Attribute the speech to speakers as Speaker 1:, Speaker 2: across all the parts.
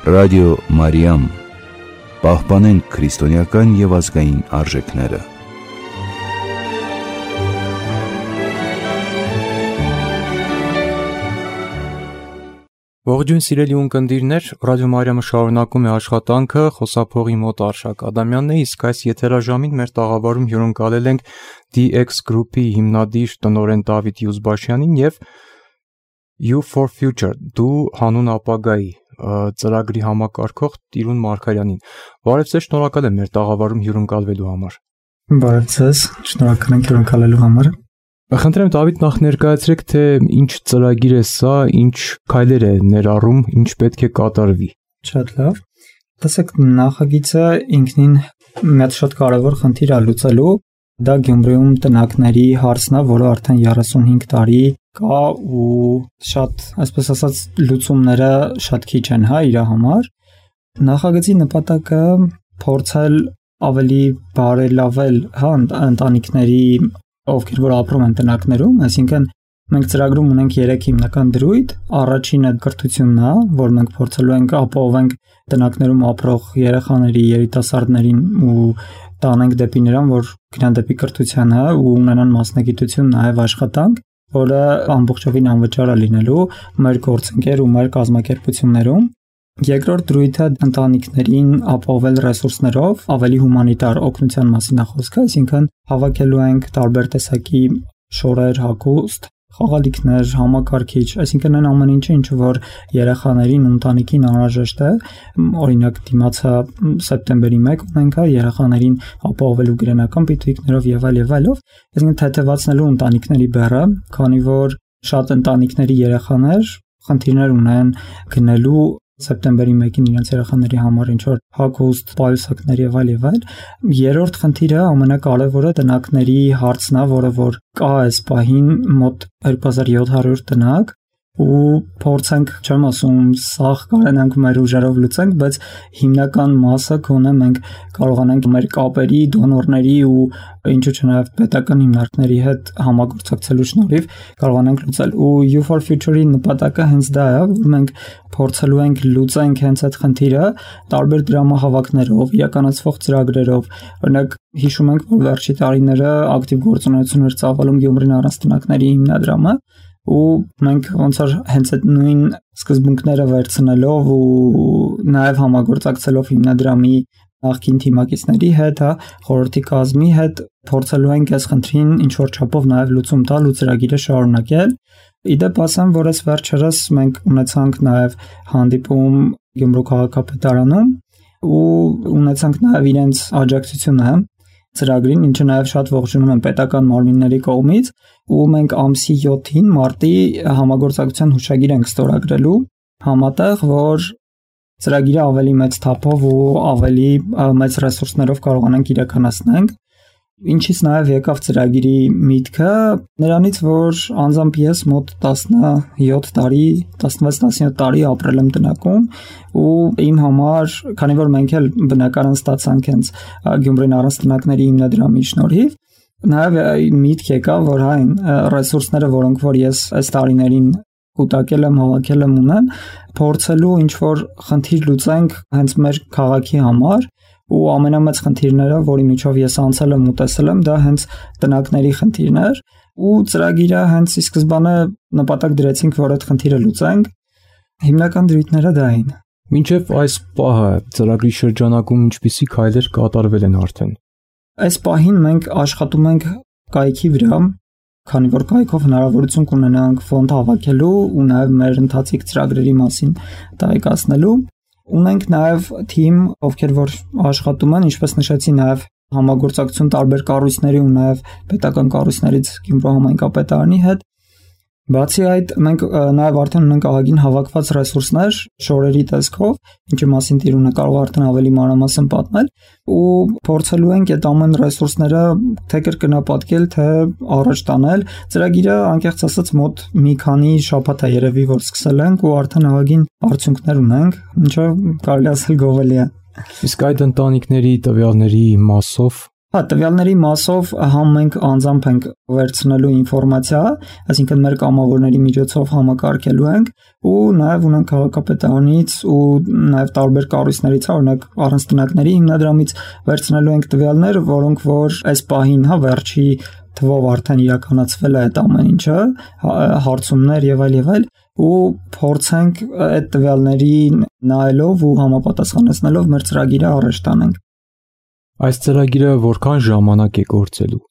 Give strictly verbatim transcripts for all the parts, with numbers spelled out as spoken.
Speaker 1: Ռադիո Մարիամ, պահպանենք քրիստոնեական և ազգային արժեքները։
Speaker 2: Ողջույն սիրելի ունկնդիրներ, Ռադիո Մարիամը շարունակում է աշխատանքը, խոսափողի մոտ Արշակ Ադամյանն է, իսկ այս եթերաժամին մեր տաղավարում հյուրընկալել ենք դի էքս Group-ի հիմնադիր տնօրեն Դավիթ Յուզբաշյանին և You for Future, դու հանուն ապագայի ծրագրի համակարգող Տիրուն Մարգարյանին։ Բարև ձեզ, շնորհակալ եմ մեր տաղավարում հյուրընկալվելու համար։
Speaker 3: Բարև ձեզ, շնորհակալ եմ հյուրընկալելու համար։
Speaker 2: Խնդրեմ Դավիթ, նախ ներկայացրեք, թե ինչ ծրագիր է սա, ինչ քայլեր է ներառում, ինչ պետք է կատարվի։
Speaker 3: Շատ լավ։ Տեսեք, նախագիծը ինքնին մեծ շատ կարևոր խնդիր է լուծելու։ Դա Գյումրիում տնակների հարցն է, որը արդեն երեսունհինգ տարի կա ու շատ, այսպես ասած, լուծումները շատ քիչ են, հա, իր համար։ Նախագծի նպատակը փորձել ավելի բարելավել, հա, ընտանիքների, ովքեր որ ապրում են տնակներում, այսինքն մենք ծրագրում ունենք երեք հիմնական դրույթ։ Առաջինը կրթությունն է, որ մենք փորձելու ենք ապահովենք տնակներում ապրող երեխաների, երիտասարդներին ու տանենք դեպի նրան, որ գնան դեպի կրթությանը ու ունենան մասնագիտություն, նաև աշխատանք, որը ամբողջովին անվճար է լինելու մեր գործընկեր ու մեր կազմակերպություններում։ Երկրորդ դրույթը ընտանիքներին ապահովել ռեսուրսներով, ավելի հումանիտար օգնության մասին է խոսքը, այսինքն հավաքելու ենք տարբեր տեսակի շորեր, հագուստ, խաղալիքներ, համակարգիչ, այսինքն այն ամեն ինչը, ինչը որ երեխաներին ու ընտանիքին անհրաժեշտ է, օրինակ դիմացը սեպտեմբերի մեկը ունենք երեխաներին ապահովելու գրենական պիտույքներով եւ այլ եւ այլով, այսինքն թեթևացնելու ընտանիքների բեռը, քանի որ շատ ընտանիքների երեխաներ խնդիրներ ունեն գնելու սեպտեմբերի մեկին իրենց երեխաների համար ինչ որ հագուստ, պայուսակներ եւ այլ եւ այլ։ Երրորդ խնդիրը ամենակարևորը տնակների հարցն է, որը որ կա այս պահին մոտ երկու հազար յոթ հարյուր տնակ ու փորձենք, չեմ ասում, սաղ կարենանք մեր ուժերով լուծենք, բայց հիմնական մասը գոնե մենք կարողանանք մեր կապերի, դոնորների ու ինչու՞ չէ նաև պետական հիմնարկների հետ համագործակցելու շնորհիվ կարողանանք լուծել։ Ու You for Future-ի նպատակը հենց դա է, որ մենք փորձելու ենք լուծենք հենց այդ խնդիրը տարբեր դրամահավաքներով, իրականացվող ծրագրերով։ Օրինակ հիշում ենք, որ վերջի տարիները ակտիվ գործունեություն էր ծավալում Գյումրին առանց տնակների հիմնադրամը ու մենք ոնց որ հենց այդ նույն սկզբունքները վերցնելով ու նաև համագործակցելով հիմնադրամի նախկին թիմակիցների հետ, հա, խորհրդի կազմի հետ փորձելու ենք այս խնդրին ինչ որ չափով նաև լուծում տալ ու ծրագիրը շարունակել։ Իդեպ ասեմ, որ այս վերջերս մենք ունեցանք նաև հանդիպում Գյումրու քաղաքապետարանում ու ունեցանք նաև իրենց աջակցությունը ծրագրին, ինչը նաև շատ ողջունում են պետական մարմինների կողմից, ու մենք ամսի յոթին մարտի համագործակցության հուշագիր ենք ստորագրելու համատեղ, որ ծրագիրը ավելի մեծ թափով ու ավելի մեծ ռեսուրսներով կարողանանք իրականացնենք։ Ինչից նաև եկավ ծրագիրի միտքը, նրանից, որ անձամբ ես մոտ տասնյոթ տարի, տասնվեց տասնյոթ տարի ապրել եմ տնակում ու իմ համար, քանի որ մենք էլ բնակարան ստացանք հենց Գյումրին առանց տնակների հիմնադրամի շնորհիվ, նաև միտք եկավ, որ այն ռեսուրսները, որոնք որ ես այս տարիներին կուտակել եմ, հավաքել եմ ունեմ, փորձելու ինչ որ խնդիր լուծենք հենց մեր քաղաքի համար ու ամենամեծ խնդիրները, որի միջով ես անցել եմ ու տեսել եմ, դա հենց տնակների խնդիրն էր ու ծրագիրը հենց ի սկզբանե նպատակ դրեցինք, որ այդ խնդիրը լուծենք։ Հիմնական դրույթները դա էին։
Speaker 2: Մինչև այս պահը ծրագրի շրջանակում ինչպիսի քայլեր կատարվել են արդեն։
Speaker 3: Այս պահին մենք աշխատում ենք կայքի վրա, քանի որ կայքով հնարավորություն կունենանք ֆոնդ հավաքելու ու նաև մեր ընթացիկ ծրագրերի մասին տեղեկացնելու։ Ունենք նաև թիմ, ովքեր որ աշխատում են, ինչպես նշեցի, նաև համագործակցություն տարբեր կառույցների ու նաև պետական կառույցներից Գյումրու համայնքապետարանի հետ։ Բացի այդ, մենք նաև արդեն ունենք ահագին հավաքված ռեսուրսներ շորերի տեսքով, ինչի մասին Տիրունը կարող արդեն ավելի մանրամասն պատմել, ու փորձելու ենք այդ ամեն ռեսուրսները թե կրկնապատկել, թե առաջ տանել։ Ծրագիրը անկեղծ ասած մոտ մի քանի շաբաթ է երևի, որ սկսել ենք ու արդեն ահագին արդյունքներ ունենք, ինչը կարելի ասել գովելի է։
Speaker 2: Իսկ այդ ընտանիքների տվյալների մասով
Speaker 3: Հա, տվյալների մասով համ մենք անձամբ ենք վերցնելու ինֆորմացիա, այսինքն մեր կամավորների միջոցով համակարգելու ենք ու նաև ունենք քաղաքապետարանից ու նաև տարբեր կառույցներից, օրինակ առանց տնակների հիմնադրամից վերցնելու ենք տվյալներ, որոնք որ այս պահին, հա, վերջի թվով արդեն իրականացվել է այդ ամեն ինչը, հարցումներ եւ այլ եւ այլ ու փորձենք այդ տվյալներին նայելով ու համապատասխանեցնելով մեր ծրագիրը առաջ տանենք։
Speaker 2: Այս ծրագիրը որքան ժամանակ է գործելու։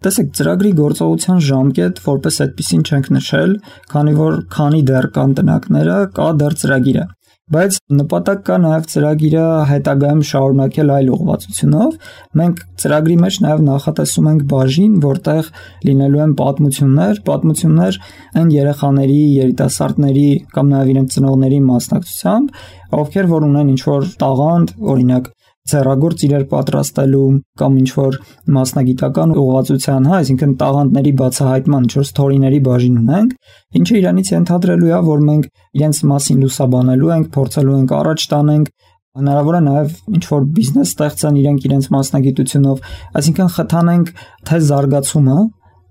Speaker 3: Տեսեք, ծրագրի գործողության ժամկետ որպես այդպեսին չենք նշել, քանի որ քանի դեռ կան տնակները, կա դեռ ծրագիրը, բայց նպատակ կա նաև ծրագիրը հետագայում շարունակել այլ ուղղվածությունով։ Մենք ծրագրի մեջ նաև նախատեսում ենք բաժին, որտեղ լինելու են պատմություններ, պատմություններ այն երեխաների, երիտասարդների կամ նաև իրենց ծնողների մասնակցությամբ, ովքեր որ ունեն ինչ-որ տաղանդ, օրինակ ձեռագործ իրեր պատրաստելու կամ ինչ-որ մասնագիտական ուղղվածության, հա, այսինքն տաղանդների բացահայտման ինչ-որ սթորիների բաժին ունենք, ինչը իրանից ենթադրելու է, որ մենք իրենց մասին լուսաբանելու ենք, փորձելու ենք առաջ տանենք, հնարավոր է նաև ինչ-որ բիզնես ստեղծեն իրենք իրենց մասնագիտությունով, այսինքն խթանենք թե զարգացումը,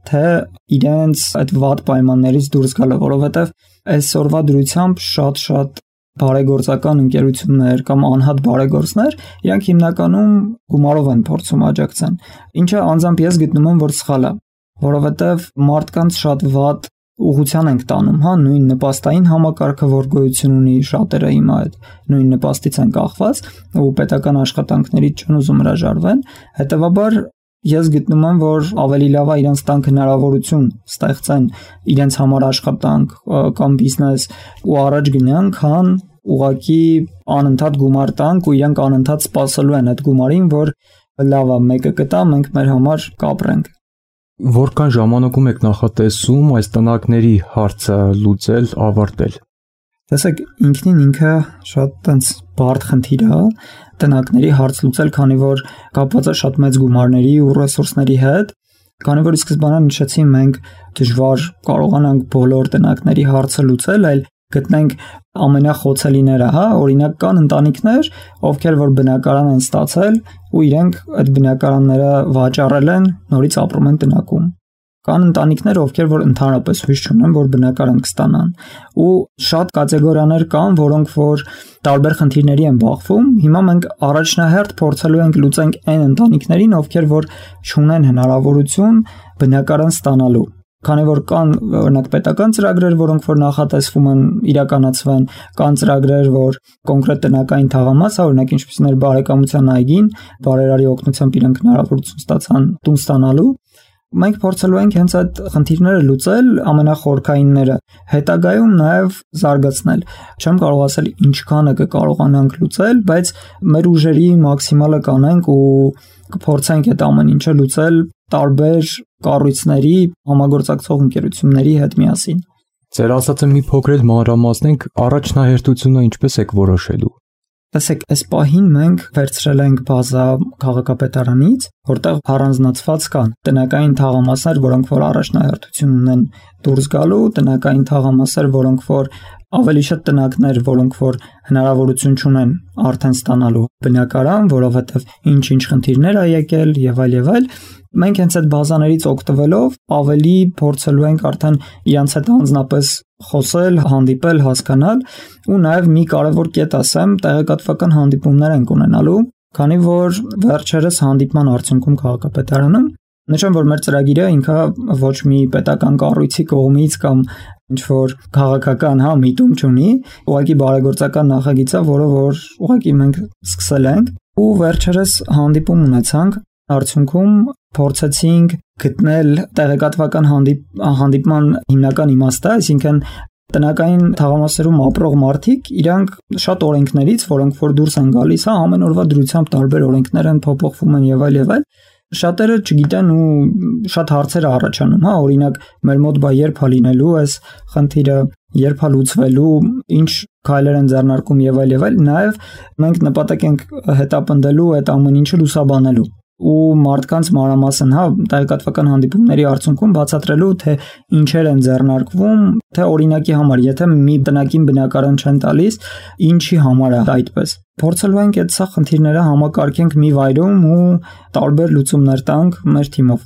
Speaker 3: թե իրենց այդ վատ պայմաններից դուրս գալը, որովհետև այսօրվա դրությամբ շատ-շատ բարեգործական ընկերություններ կամ անհատ բարեգործներ, իրանք հիմնականում գումարով են փորձում աջակցեն, ինչը անձամբ ես գտնում եմ, որ սխալ է, որովհետև մարդկանց շատ վատ ուղղության ենք տանում, հա, նույն նպաստային համակարգը, որ գոյություն ունի, շատերը հիմա այդ նույն նպաստից են կախված ու պետական աշխատանքներից չեն ուզում հրաժարվեն, հետևաբար ես գտնում եմ, որ ավելի լավ է իրենց տանք հնարավորություն ստեղծեն իրենց համար աշխատանք կամ բիզնես ու առաջ գնան, քան ուղղակի անընդհատ գումար տանք ու իրենք անընդհատ սպասելու են այդ գումարին, որ լավ է, մեկը կտա, մենք մեր համար կապրենք։
Speaker 2: Որքան ժամանակում եք նախատեսում այս տնակների հարցը լուծել, ավարտել։
Speaker 3: Տեսեք, ինքնին ինքը շատ տենց բարդ խնդիր է տնակների հարց լուծել, քանի որ կապված է շատ մեծ գումարների ու ռեսուրսների հետ, քանի որ սկզբանե նշեցի, մենք դժվար կարողանանք բոլոր տնակների հարցը լուծել, այլ գտնենք ամենախոցելիները, հա, օրինակ կան ընտանիքներ, ովքեր որ բնակարան են ստացել ու իրենք այդ բնակարանները վաճառել են, նորից ապրում են տնակում։ Կան ընտանիքներ, ովքեր որ ընդհանրապես հույս չունեն, որ բնակարան կստանան, ու շատ կատեգորիաներ կան, որոնք որ տարբեր խնդիրների են բախվում։ Հիմա մենք առաջնահերթ փորձելու ենք լուծենք այն ընտանիքներին, ովքեր որ չունեն հնարավորություն բնակարան ստանալու։ Քանի որ կան օրինակ պետական ծրագրեր, որոնք որ նախատեսվում են իրականացվեն, կան ծրագրեր, որ կոնկրետ տնական թաղամաս, օրինակ ինչպիսին էր բարեկամության այգին, բարերարի օգնությամբ իրենք հնարավորություն ստացան տուն ստանալու։ Մենք փորձելու ենք հենց այդ խնդիրները լուծել, ամենախորքայինները, հետագայում նաև զարգացնել։ Չեմ կարող ասել ինչքանը կկարողանանք լուծել, բայց մեր ուժերի մաքսիմալը կանենք ու կփորձենք այդ ամեն ինչը լուծել տարբեր կառույցների, համագործակցող ընկերությունների հետ միասին։
Speaker 2: Ձեր ասածը մի փոքր էլ մանրամասնենք, առաջնահերթությունը ինչպես եք որոշելու։
Speaker 3: Տեսեք, այս պահին մենք վերցրել ենք բազա քաղաքապետարանից, որտեղ առանձնացված կան տնական թաղամասեր, որոնք որ առաջնահերթություն ունեն դուրս գալու, տնական թաղամասեր, որոնք որ ավելի շատ տնակներ, որոնք որ հնարավորություն չունեն արդեն ստանալու բնակարան, որովհետև ինչ-ինչ խնդիրներ ա եկել եւ այլ եւ այլ։ Մենք հենց այդ բազաներից օգտվելով ավելի փորձելու ենք արդեն իրանց հետ անձնապես խոսել, հանդիպել, հասկանալ ու նաև մի կարևոր կետ ասեմ, տեղեկատվական հանդիպումներ ենք ունենալու, քանի որ վերջերս հանդիպման արդյունքում քաղաքապետարանում նշեմ, որ մեր ծրագիրը ինքը ոչ մի պետական կառույցի կողմից կամ ինչ որ քաղաքական հա միտում չունի, ուղղակի բարեգործական նախագիծ է, որը որ ուղղակի մենք սկսել ենք ու վերջերս հանդիպում ունեցանք, արդյունքում փորձեցինք գտնել տեղեկատվական հանդիպ հանդիպման հիմնական իմաստը, այսինքն տնական թաղամասերում ապրող մարդիկ իրանք շատ օրենքներից, որոնք որ դուրս են գալիս, հա ամեն օրվա դրությամբ տարբեր օրենքներ են փոփոխվում են եւ այլ եւ այլ, շատերը չգիտեն ու շատ հարցեր առաջանում, հա օրինակ մեր մոտ բա երբ է լինելու այս խնդիրը, երբ է լուծվելու, ինչ քայլեր են ձեռնարկում եւ այլ եւ այլ, նաեւ մենք նպատակ ենք հետապնդելու այդ ամեն ինչը լուսաբանելու։ ու մարդկանց մանրամասն, հա, տեղեկատվական հանդիպումների արդյունքում բացատրելու, թե ինչեր են ձեռնարկվում, թե օրինակի համար, եթե մի բնակին բնակարան չեն տալիս, ինչի համար է այդպես։ Փորձելու ենք այդ սա խնդիրները համակարգենք մի վայրում ու տարբեր լուծումներ տանք մեր թիմով։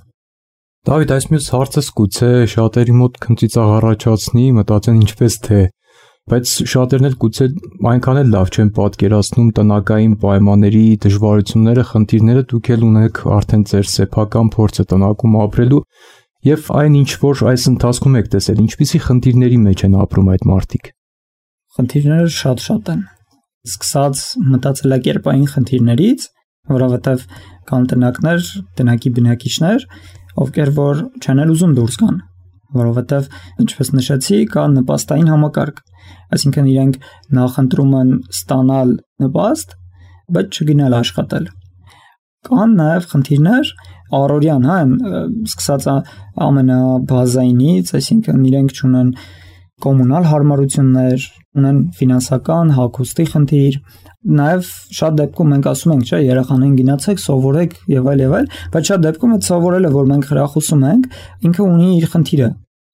Speaker 2: Դավիթ, այս մյուս հարցս գուցե շատերի մոտ քնծիծաղ առաջացնի, մտածեն ինչպես թե, բայց շատերն էլ գուցե այնքան էլ լավ չեն պատկերացնում տնական պայմանների դժվարությունները, խնդիրները, դուք էլ ունեք արդեն ձեր սեփական փորձը տնակում ապրելու եւ այն ինչ որ այս ընթացքում եք տեսել, ինչպիսի խնդիրների մեջ են ապրում այդ մարդիկ։
Speaker 3: Խնդիրները շատ-շատ են։ Սկսած մտածելակերպային խնդիրներից, որովհետեւ կան տնակներ, տնակի բնակիչներ, ովքեր որ չեն էլ ուզում դուրս գան, որովհետեւ ինչպես նշեցի, կա նպաստային համակարգ, այսինքն իրենք նախընտրում են ստանալ նպաստ, բայց չգնալ աշխատել։ Կան նաև խնդիրներ առօրյան, հա, սկսած ամենաբազայինից, այսինքն իրենք չունեն կոմունալ հարմարություններ, ունեն ֆինանսական հագուստի խնդիր, նաև շատ դեպքում մենք ասում ենք, չէ, երեխաներին գնացեք, սովորեք եւ այլ եւ այլ, բայց շատ դեպքում այդ սովորելը, որ մենք հրախուսում ենք, ինքը ունի իր խնդիրը։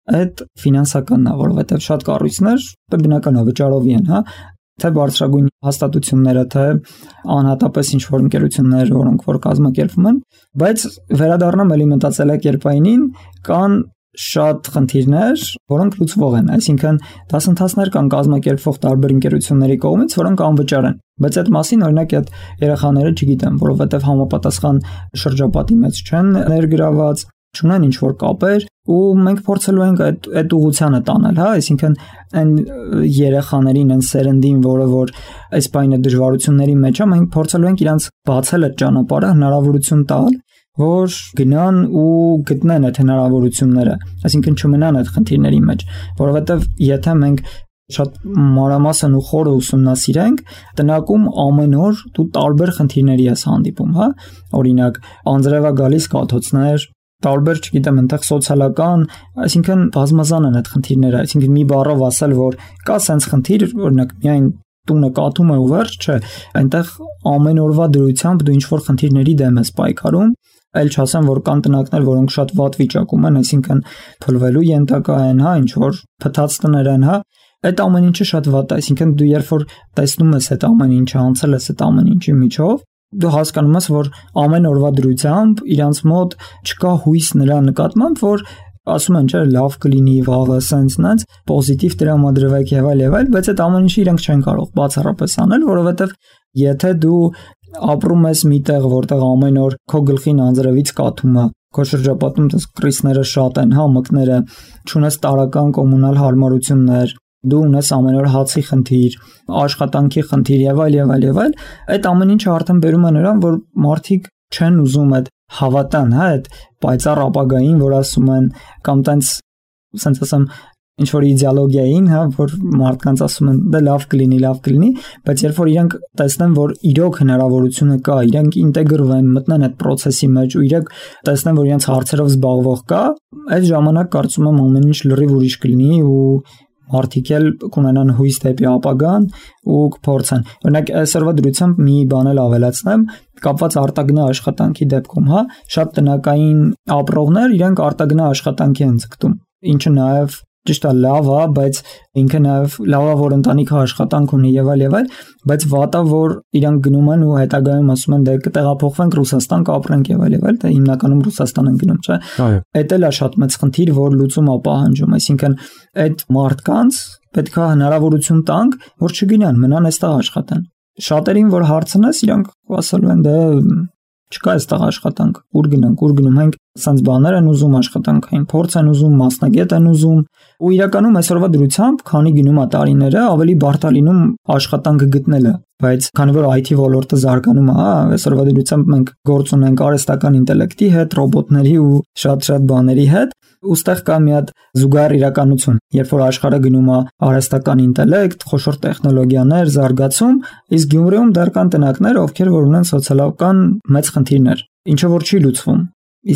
Speaker 3: Այդ ֆինանսականն է, որովհետեւ շատ կառույցներ բնական է վճարովի են, հա, թե բարձրագույն հաստատությունները, թե անհատապես ինչ-որ ընկերություններ, որոնք որ կազմակերպվում են, բայց վերադառնամ էլի մտածելակերպայինին, կան շատ խնդիրներ, որոնք լուծվող են, այսինքն դասընթացներ կան կազմակերպվող տարբեր ընկերությունների կողմից, որոնք անվճար են, բայց այդ մասին օրինակ այդ երեխաները չգիտեն, որովհետև համապատասխան շրջապատի մեջ չեն ներգրաված, չունեն ինչ-որ կապեր, ու մենք փորձելու ենք այդ այդ ուղղությանը տանել, հա, այսինքն այն երեխաներին, այն սերնդին, որը որ այս բանը դժվարությունների մեջ է, մենք փորձելու ենք իրանց բացել այդ ճանապարհը, հնարավորություն տալ, որ գնան ու գտնեն այդ հնարավորությունները, այսինքն չմնան այդ խնդիրների մեջ, որովհետև եթե մենք շատ մանրամասն ու խորը ուսումնասիրենք, տնակում ամեն օր դու տարբեր խնդիրների ես հանդիպում, հա, օրինակ անձրևա գալիս կաթոցներ, տարբեր, չգիտեմ, այնտեղ սոցիալական, այսինքն բազմազան են այդ խնդիրները, այսինքն մի բառով ասել, որ կա sense խնդիր, օրինակ միայն տունը կաթում է ու վերջ, չէ, այնտեղ ամեն օրվա դրությամբ դու ինչ-որ խնդիրների դեմ ես պայքարում, այլ չասեմ, որ կան տնակներ, որոնք շատ վատ վիճակում են, այսինքն փլվելու ենթակա են, հա, ինչ-որ փտած տներ են, հա, այդ ամեն ինչը շատ վատ է, այսինքն դու երբ որ տեսնում ես այդ ամեն ինչը, անցել ես այդ ամեն ինչի միջով, դու հասկանում ես, որ ամեն օրվա դրությամբ իրանց մոտ չկա հույս նրա նկատմամբ, որ ասում են, չէ, լավ կլինի, վաղը sense նենց, պոզիտիվ տրամադրվեք եւ այլ եւ այլ, բայց այդ ամեն ինչը իրենք չեն կարող բացառապես անել, որովհետեւ եթե դու ապրում ես միտեղ, որտեղ ամեն օր քո գլխին անձրևից կաթում է, քո շրջապատում կրիսները շատ են, հա, մկները, չունես տարական կոմունալ հարմարություններ, դու ունես ամեն օր հացի խնդիր, աշխատանքի խնդիր եւ այլ եւ այլ եւ այլ, այդ ամեն ինչը արդեն բերում է նրան, որ մարդիկ չեն ուզում այդ հավատան, հա, այդ պայծառ ապագային, որ ասում են, կամ տենց, ասենց ասեմ, ինչ որ իդեոլոգիային, հա, որ մարդկանց ասում են, դե լավ կլինի, լավ կլինի, բայց երբ որ իրանք տեսնեն, որ իրոք հնարավորությունը կա, իրանք ինտեգրվեն, մտնեն այդ process-ի մեջ ու իրանք տեսնեն, որ իրանք հարցերով զբաղվող կա, այդ ժամանակ կարծում եմ ամեն ինչ լրիվ ուրիշ կլինի ու մարդիկ էլ կունենան հույս դեպի ապագան ու կփորձեն։ Օրինակ այսօրվա դրությամբ մի բան էլ ավելացնեմ, կապված արտագնա աշխատանքի դեպքում, հա, շատ տնական ապրողներ իրենք արտագնա աշխատանքի են ձգտում, ինչը նաև ճիշտ է, լավ է, բայց ինքը նաև լավ է, որ ընտանիքը աշխատանք ունի եւ այլ եւ այլ, բայց վատա, որ իրանք գնում են ու հետագայում ասում են, դե կտեղափոխվենք Ռուսաստան, կապրենք եւ այլ եւ այլ, դա հիմնականում Ռուսաստան են գնում, չէ։ Այդ էլ է շատ մեծ խնդիր, որ լուծում է պահանջում, այսինքն այդ մարդկանց պետք է հնարավորություն տանք, որ չգնան, մնան այստեղ աշխատեն։ Շատերին որ հարցնես, իրանք ասելու են, դե չկա այստեղ աշխատանք, ուր գնանք, ուր գնում ենք, ասենց բաներ են ուզում, աշխատանքային փորձ են ուզում, մասնագետ են ուզում, ու իրականում այսօրվա դրությամբ, քանի գնում է տարիները, ավելի բարդ է լինում աշխատանքը գտնելը, բայց քանի որ I T ոլորտը զարգանում է, հա, այսօրվա դրությամբ մենք գործ ունենք արհեստական ինտելեկտի հետ, ռոբոտների ու շատ-շատ բաների հետ, ուստեղ կա մի հատ զուգահեռ իրականություն, երբ որ աշխարհը գնում է արհեստական ինտելեկտ, խոշոր տեխնոլոգիաներ, զարգացում, իսկ Գյումրիում դեռ կան տնակներ, ովքեր որ ունեն սոցիալական մեծ խնդիրներ, ինչը որ չի լուծվում,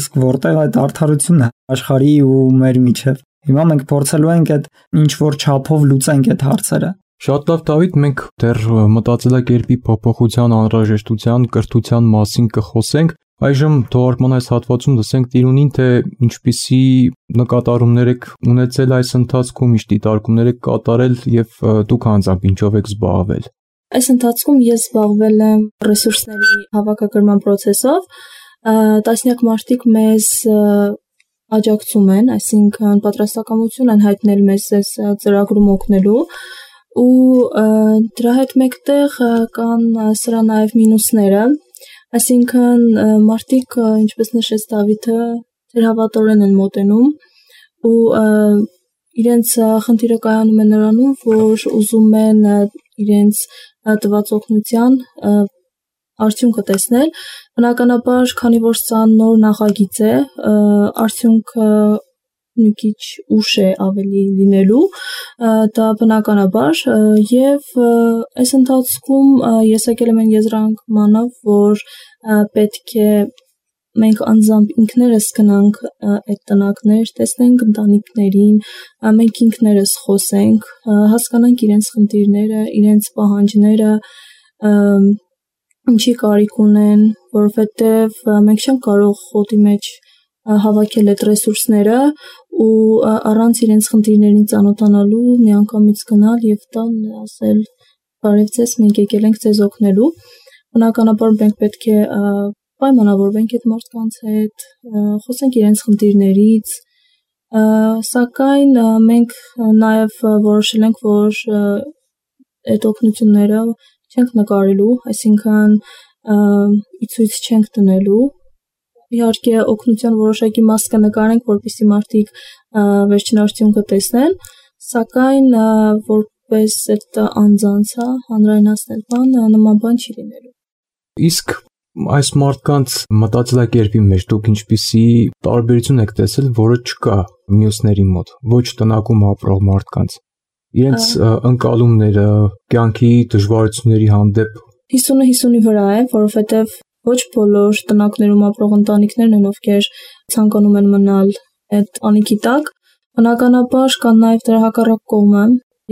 Speaker 3: իսկ որտեղ այդ արդարությունն է աշխարհի ու մեր միջև։ Հիմա մենք փորձելու ենք այդ ինչ որ չափով լուծենք այդ հարցերը։
Speaker 2: Շատ լավ, Դավիթ, մենք դեռ մտածելակերպի փոփոխության անհրաժեշտության, կրթության մասին կխոսենք, Այժմ թողարկման այս հատվածում լսենք Տիրունին, թե ինչպիսի նկատառումներ եք ունեցել այս ընթացքում, ինչ դիտարկումներ եք կատարել եւ դուք անձամբ ինչով եք զբաղվել։
Speaker 4: Այս ընթացքում ես զբաղվել եմ ռեսուրսների հավաքագրման process-ով, տասնյակ մարդիկ մեզ աջակցում են, այսինքն պատրաստակամություն են հայտնել մեզ այս ծրագրում օգնելու ու դրա հետ մեկտեղ կան սրա նաեւ մինուսները, այսինքն մարդիկ, ինչպես նշեց Դավիթը, թերհավատորեն են մոտենում ու իրենց խնդիրը կայանում է նրանում, որ ուզում են իրենց տված օգնության արդյունքը տեսնել, բնականաբար, քանի որ սա նոր նախագիծ է, արդյունքը մի քիչ ուշ է ավելի լինելու, դա բնականաբար, եւ այս ընթացքում ես եկել եմ այն եզրանկմանը, որ պետք է մենք անձամբ ինքներս գնանք այդ տնակներ, տեսնենք ընտանիքներին, մենք ինքներս խոսենք, հասկանանք իրենց խնդիրները, իրենց պահանջները, ինչի կարիք ունեն, որովհետեւ մենք չենք կարող խոտի մեջ հավաքել այդ ռեսուրսները ու առանց իրենց խնդիրներին ծանոթանալու միանգամից գնալ եւ տան ասել բարև ձեզ, մենք եկել ենք ձեզ օգնելու, բնականաբար մենք պետք է պայմանավորվենք այդ մարդկանց հետ, խոսենք իրենց խնդիրներից, սակայն մենք նաեւ որոշել ենք, որ այդ օգնությունները չենք նկարելու, այսինքն ի ցույց չենք դնելու, իհարկե օգնության որոշակի մաս կնկարենք, որպեսզի մարդիկ վերջին արդյունքը տեսնեն, սակայն որպես այդ անձանց հանրայնացնել բան, նման բան չի լինելու։
Speaker 2: Իսկ այս մարդկանց մտածելակերպի մեջ դուք ինչպիսի տարբերություն եք տեսել, որը չկա մյուսների մոտ, ոչ տնակում ապրող մարդկանց, իրենց ընկալումները, կյանքի դժվարությունների հանդեպ
Speaker 4: հիսունը հիսունի վրա է, որովհետև ոչ բոլոր տնակներում ապրող ընտանիքներն են, ովքեր ցանկանում են մնալ այդ անիքի տակ, բնականաբար կան նաև դրա հակառակ կողմը,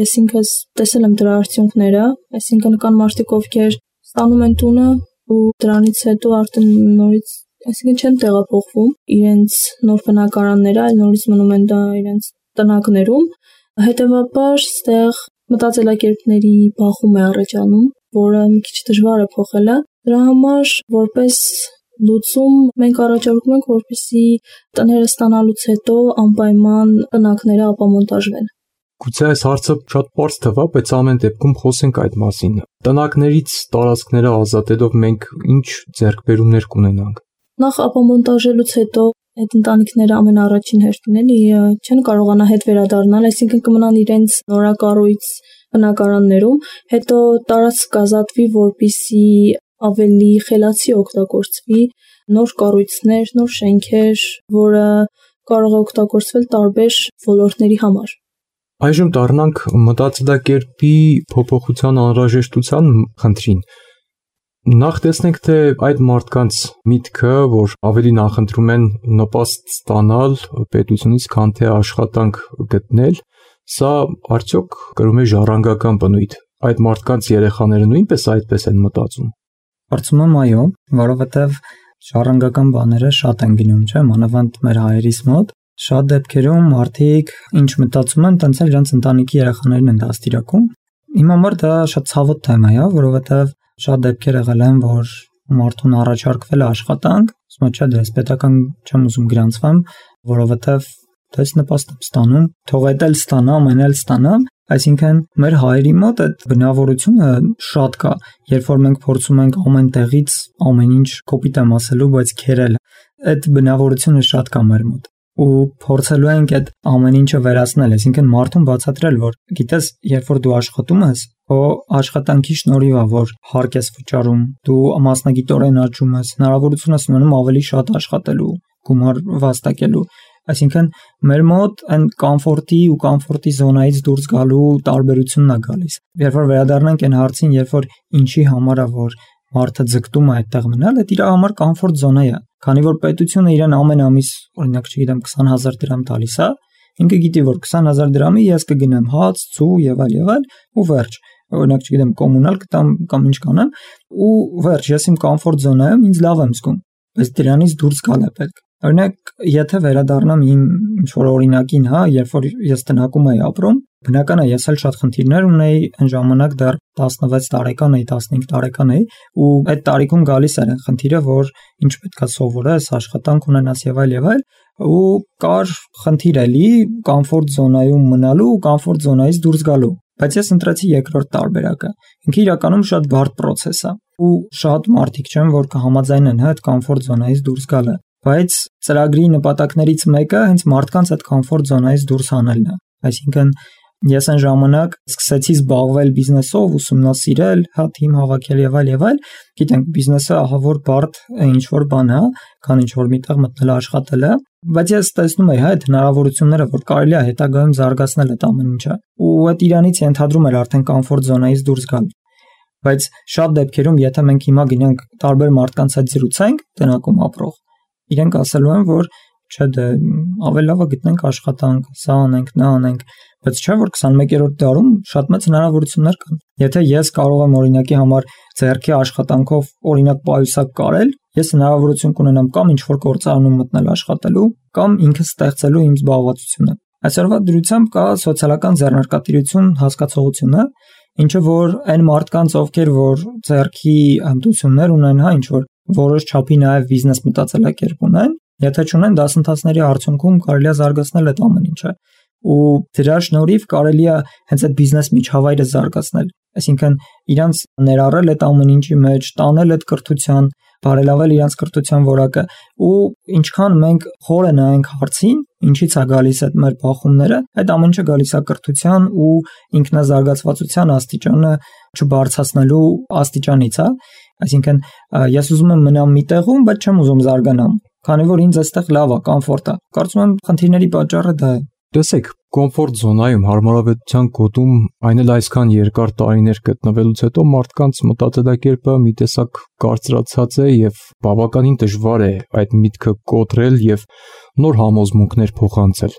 Speaker 4: ես ինքս տեսել եմ դրա արդյունքները, այսինքն կան մարդիկ, ովքեր ստանում են տունը ու դրանից հետո արդեն նորից, այսինքն չեն տեղափոխվում իրենց նոր բնակարանները, այլ նորից մնում են դա իրենց տնակներում, հետևաբար ստեղ մտածելակերպների բախում է առաջանում, որը մի քիչ դժվար է փոխելը, դրա համար որպես լուծում մենք առաջարկում ենք, որպեսզի տները ստանալուց հետո անպայման տնակները ապամոնտաժվեն։
Speaker 2: Գուցե այս հարցը շատ պարզ թվա, բայց ամեն դեպքում խոսենք այդ մասին։ Տնակներից տարածքները ազատելով մենք ինչ ձեռքբերումներ կունենանք։
Speaker 4: Նախ ապամոնտաժելուց հետո այդ ընտանիքները ամենաառաջին հերթին էլի չեն կարողանա հետ վերադառնալ, այսինքն կմնան իրենց նորակառույց բնակարաններում, հետո տարածք կազատվի, որպեսզի ավելի խելացի օգտագործվի, նոր կառույցներ, նոր շենքեր, որը կարող է օգտագործվել տարբեր ոլորտների համար։
Speaker 2: Այժմ դառնանք մտածելակերպի փոփոխության անհրաժեշտության խնդրին։ Նախ տեսնենք, թե այդ մարդկանց միտքը, որ ավելի նախընտրում են նպաստ ստանալ պետությունից, քան թե աշխատանք գտնել, սա արդյոք կրում է ժառանգական բնույթ։ Այդ մարդկանց երեխաները նույնպես այդպես են մտածում։
Speaker 3: Կարծում եմ այո, որովհետև ժառանգական բաները շատ են գնում, չէ՞, մանավանդ մեր հայերիս մոտ։ Շատ դեպքերում մարդիկ ինչ մտածում են, տենց էլ իրենց ընտանիքի երեխաներին են դաստիարակում։ Իմ համար դա շատ ցավոտ թեմա է, որովհետև շատ դեպքեր եղել են, որ մարդուն առաջարկվել է աշխատանք, ասում է, չէ, դες պետական չեմ ուզում գրանցվեմ, որովհետև դες նպաստ եմ ստանում, թող այդ էլ ստանամ, այն էլ ստանամ, այսինքն մեր հայերի մոտ այդ բնավորությունը շատ կա, երբ որ մենք փորձում ենք ամեն տեղից ամեն ինչ կոպիտ եմ ասելու, բայց քերել, այդ բնավորությունը շատ կա մեր մոտ ու փորձելու ենք այդ ամեն ինչը վերացնել, այսինքն մարդուն բացատրել, որ գիտես, երբ որ դու աշխատում ես, քո աշխատանքի շնորհիվ է, որ հարկ ես վճարում, դու մասնագիտորեն աճում ես, հնարավորություն ես ունենում ավելի շատ աշխատելու, գումար վաստակելու, այսինքն մեր մոտ այն կոմֆորտի ու կոմֆորտի զոնայից դուրս գալու տարբերությունն է գալիս։ Երբ որ վերադառնանք այն հարցին, երբ որ ինչի համար է, որ մարդը ձգտում է այդտեղ մնալ, այդ իր համար կոմֆորտ զոնա է, քանի որ պետությունը իրեն ամեն ամիս, օրինակ, չգիտեմ, քսան հազար դրամ տալիս է, ինքը գիտի, որ քսան հազար դրամի ես կգնեմ հաց, ցու եւ այլ եւ այլ ու վերջ։ Օրինակ, չգիտեմ, կոմունալ կտամ կամ ինչ կանեմ ու վերջ, ես իմ կոմֆորտ զոնայում ինձ լավ եմ զգում։ բայց դրանից դուրս գալ է պետք։ Օրինակ, եթե վերադառնամ իմ ինչ-որ օրինակին, հա, երբ որ ես տնակում էի ապրում, բնական է, ես էլ շատ խնդիրներ ունեի, այն ժամանակ դեռ տասնվեց տարեկան էի, տասնհինգ տարեկան էի, ու այդ տարիքում գալիս էր այն խնդիրը, որ ինչ պետքա սովորես, աշխատանք ունենաս եւ այլ եւ այլ, ու կար խնդիր էլի կոմֆորտ զոնայում մնալու ու կոմֆորտ զոնայից դուրս գալու։ Բայց ես ընտրեցի երկրորդ տարբերակը։ Ինքը իրականում շատ բարդ process է, ու շատ մարդիկ չեն, որ կհամաձայնեն հա այդ կոմֆորտ զոնայից դուրս գալը։ Բայց ծրագրի նպատակներից մեկը հենց մարդկանց այդ կոմֆորտ զոնայից դուրս հանելն է։ Այսինքն ես այն ժամանակ սկսեցի զբաղվել բիզնեսով, ուսումնասիրել, հա թիմ հավաքել եւ այլ եւ այլ։ Գիտենք, բիզնեսը ահա որ բարդ ինչ որ բան է, քան ինչ որ միտեղ մտնել աշխատելը, բայց ես տեսնում եի հա այդ հնարավորությունները, որ կարելի է հետագայում զարգացնել այդ ամեն ինչը։ Ու այդ իրանից ենթադրում էր արդեն կոմֆորտ զոնայից դուրս գալ։ Բայց շատ դեպքերում, եթե մենք հիմա գնանք տարբեր մարդկանց հետ զրուցենք, տնակում ապրող, իրենք ասելու են, որ չէ դե ավելի լավ է գտնենք աշխատանք, սա անենք, նա անենք, բայց չէ որ քսանմեկերորդ դարում շատ մեծ հնարավորություններ կան։ Եթե ես կարող եմ օրինակի համար ձեռքի աշխատանքով օրինակ պայուսակ կարել, ես հնարավորություն կունենամ կամ ինչ-որ գործարանում մտնել աշխատելու, կամ ինքս ստեղծելու իմ զբաղվածությունը։ Այսօրվա դրությամբ կա սոցիալական ձեռնարկատիրություն հասկացողությունը, ինչը որ այն մարդկանց, ովքեր որ ձեռքի հմտություններ ունեն, հա, ինչ որ որոշ չափի նաև բիզնես մտածելակերպ ունեն, եթե չունեն դասընթացների արդյունքում կարելի է զարգացնել այդ ամեն ինչը, ու դրա շնորհիվ կարելի է հենց այդ բիզնես միջավայրը զարգացնել, այսինքն իրանց ներառել այդ ամեն ինչի մեջ, տանել այդ կրթության, բարելավել իրանց կրթության որակը, ու ինչքան մենք խորը նայենք հարցին, ինչից է գալիս այդ մեր բախումները, այդ ամեն ինչը գալիս է կրթության ու ինքնազարգացվածության աստիճանը չբարձրացնելու աստիճանից, հա, այսինքն ես ուզում եմ մնամ մի տեղում, բայց չեմ ուզում զարգանամ, քանի որ ինձ այստեղ լավ է, կոմֆորտ է։ Կարծում եմ խնդիրների պատճառը դա է։
Speaker 2: Տեսեք, կոմֆորտ զոնայում հարմարավետության գոտում այն էլ այսքան երկար տարիներ գտնվելուց հետո մարդկանց մտածելակերպը մի տեսակ կարծրացած է եւ բավականին դժվար է այդ միտքը կոտրել եւ նոր համոզմունքներ փոխանցել։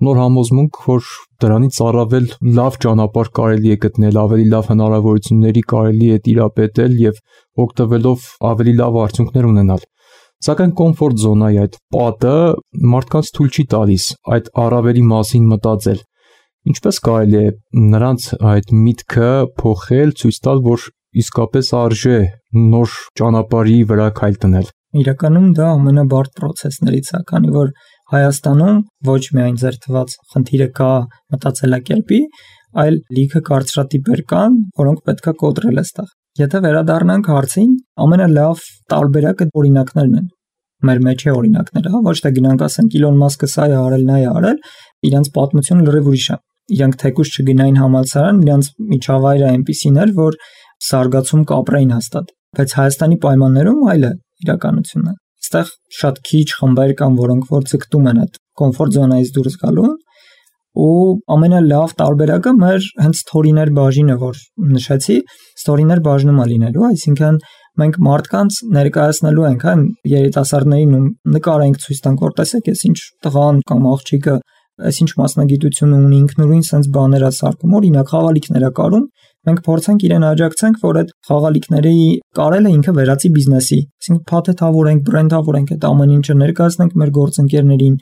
Speaker 2: Նոր համոզմունք, որ դրանից առավել լավ ճանապարհ կարելի է գտնել, ավելի լավ հնարավորությունների կարելի է տիրապետել եւ օգտվելով ավելի լավ արդյունքներ ունենալ։ Սակայն կոմֆորտ զոնայի այդ պատը մարդկանց թույլ չի տալիս այդ առավելի մասին մտածել։ Ինչպես կարելի է նրանց այդ միտքը փոխել, ցույց տալ, որ իսկապես արժե նոր ճանապարհի վրա քայլ դնել։
Speaker 3: Իրականում դա ամենաբարդ process-ներից է, քանի որ Հայաստանում ոչ միայն ձեր թված խնդիրը կա մտածելակերպի, այլ լիքը կարծրատիպեր կան, որոնք պետքա կոտրել այստեղ։ Եթե վերադառնանք հարցին, ամենալավ տարբերակը օրինակներն են։ Մեր մեջ է օրինակները, հա, ոչ թե գնանք ասենք Իլոն Մասկը սա է արել, նա է արել, իրանց պատմությունը լրիվ ուրիշ է։ Իրանք թեկուզ չգնային համալսարան, իրանց միջավայրը այնպիսին էր, որ զարգացում կապրեին հաստատ։ Բայց Հայաստանի պայմաններում այլ է իրականությունը։ Այստեղ շատ քիչ խմբեր կան, որոնք որ ցկտում են այդ կոմֆորտ զոնայից դուրս գալուն, ու ամենալավ տարբերակը մեր հենց ստորիներ բաժինը, որ նշեցի, ստորիներ բաժնում է լինելու, այսինքն մենք մարդկանց ներկայացնելու ենք, հա, երիտասարդներին ու նկար ենք ցույց տանք, որ տեսեք, ես ինչ տղան կամ աղջիկը, այս ինչ մասնագիտություն ունի, ինքնուրույն sense բաներ է սարքում, օրինակ խաղալիքներ է կարում, մենք փորձենք իրեն աջակցենք, որ այդ խաղալիքների կարելը ինքը վերածի բիզնեսի, այսինքն փաթեթավորենք, բրենդավորենք այդ ամեն ինչը, ներկայացնենք մեր գործընկերներին,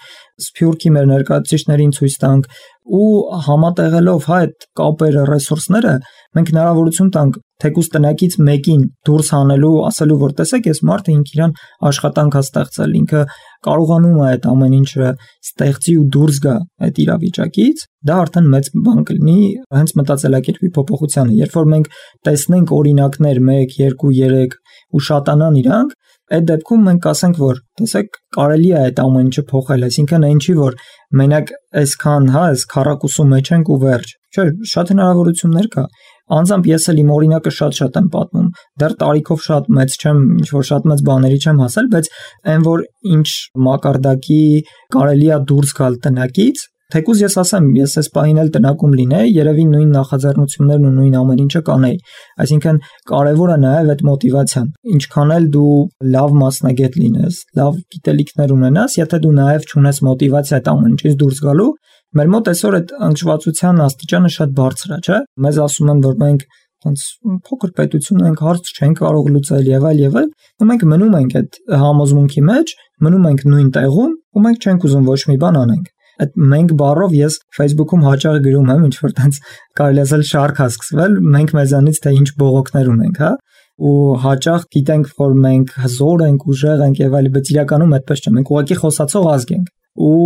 Speaker 3: սփյուռքի մեր ներկայացուցիչներին ցույց տանք ու համատեղելով հա այդ կապերը, ռեսուրսները մենք հնարավորություն տանք թեկուզ տնակից մեկին դուրս հանելու, ասելու որ տեսեք, այս մարդը ինքը իրան աշխատանք է ստեղծել, ինքը կարողանում է այդ ամեն ինչը ստեղծի ու դուրս գա այդ իրավիճակից, դա արդեն մեծ բան կլինի հենց մտածելակերպի փոփոխությանը։ Երբ որ մենք տեսնենք օրինակներ մեկ, երկու, երեք ու շատանան իրանք, այդ դեպքում մենք ասենք, որ տեսեք, կարելի է այդ ամեն ինչը փոխել, այսինքն այն չի, որ մենակ այսքան, հա, այս քառակուսու մեջ ենք ու վերջ։ Չէ, շատ հնարավորություններ կա։ Անձամբ ես էլ իմ օրինակը շատ-շատ եմ պատմում։ Դեռ տարիքով շատ մեծ չեմ, ինչ որ շատ մեծ բաների չեմ հասել, բայց այն որ ինչ մակարդակի կարելի է դուրս գալ տնակից, թեկուզ ես ասեմ, ես այս պահին էլ տնակում լինեի, երևի նույն նախաձեռնություններն ու նույն ամեն ինչը կանեի։ Այսինքն կարևորը նաև այդ մոտիվացիան։ Ինչքան էլ դու լավ մասնագետ լինես, լավ գիտելիքներ ունենաս, եթե դու նաև չունես մոտիվացիա այդ ամեն ինչից դուրս գալու, մեր մոտ այսօր այդ անկշվածության աստիճանը շատ բարձր է, չէ՞։ Մեզ ասում են, որ մենք Ոնց փոքր պետություն ենք, հարց չենք կարող լուծել եւ այլ եւ այլ, ու մենք մնում ենք այդ համոզմունքի մեջ, մնում ենք նույն տեղում, ու մենք չենք ուզում ոչ մի բան անենք։ Այդ մենք բառով ես Facebook-ում հաճախ գրում եմ, ինչ որ տենց կարելի ասել շարք է սկսվել, մենք մեզանից թե ինչ բողոքներ ունենք, հա, ու հաճախ գիտենք, որ մենք հզոր ենք, ուժեղ ենք եւ այլ, բայց իրականում այդպես չէ, մենք ուղղակի խոսացող ազգ ենք։ Ու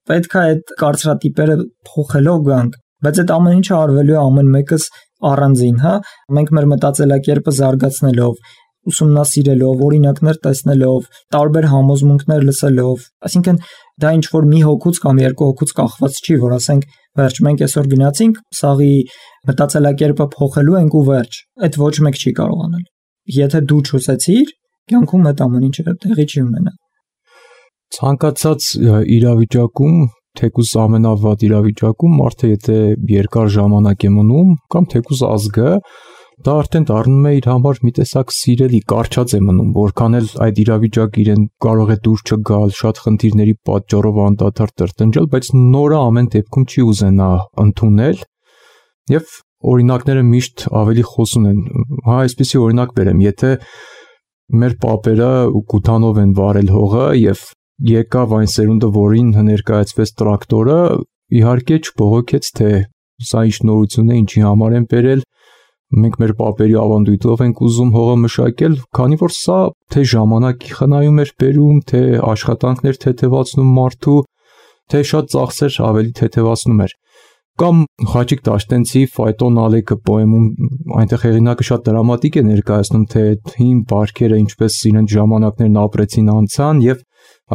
Speaker 3: պետք է այդ կարծրատիպերը փոխելով գանք, բայց այդ ամեն ինչը արվելու է ամեն մեկս առանձին, հա, մենք մեր մտածելակերպը զարգացնելով, ուսումնասիրելով, օրինակներ տեսնելով, տարբեր համոզմունքներ լսելով, այսինքն դա ինչ որ մի հոգուց կամ երկու հոգուց կախված չի, որ ասենք, վերջ մենք այսօր գնացինք, սաղի մտածելակերպը փոխելու ենք ու վերջ, այդ ոչ մեկ չի կարող անել։ Եթե դու չուսեցիր, կյանքում այդ ամեն ինչը տեղի չի ունենա։
Speaker 2: Ցանկացած իրավիճակում, թեկուզ ամենավատ իրավիճակում, մարդը եթե երկար ժամանակ է մնում, կամ թեկուզ ազգը, դա արդեն դառնում է իր համար մի տեսակ սիրելի, կարճած է մնում, որքան էլ այդ իրավիճակը իրեն կարող է դուր չգալ, շատ խնդիրների պատճառով անդադար տրտնջալ, բայց նորը ամեն դեպքում չի ուզենա ընդունել, եւ օրինակները միշտ ավելի խոսուն են։ Հա, այսպեսի օրինակ բերեմ, եթե մեր պապերը գութանով են վարել հողը եւ եկավ այն սերունդը, որին ներկայացվեց տրակտորը, իհարկե չբողոքեց, թե սա ինչ նորություն է, ինչի համար են բերել, մենք մեր պապերի ավանդույթով ենք ուզում հողը մշակել, քանի որ սա թե ժամանակի խնայում էր բերում, թե աշխատանքներ թեթևացնում մարդու, թե շատ ծախսեր ավելի թեթևացնում էր։ Կամ Խաչիկ Տաշտենցի Ֆայտոն Ալեքը պոեմում այնտեղ հեղինակը շատ դրամատիկ է ներկայացնում, թե հին բարքերը ինչպես իրենց ժամանակներն ապրեցին անցան եւ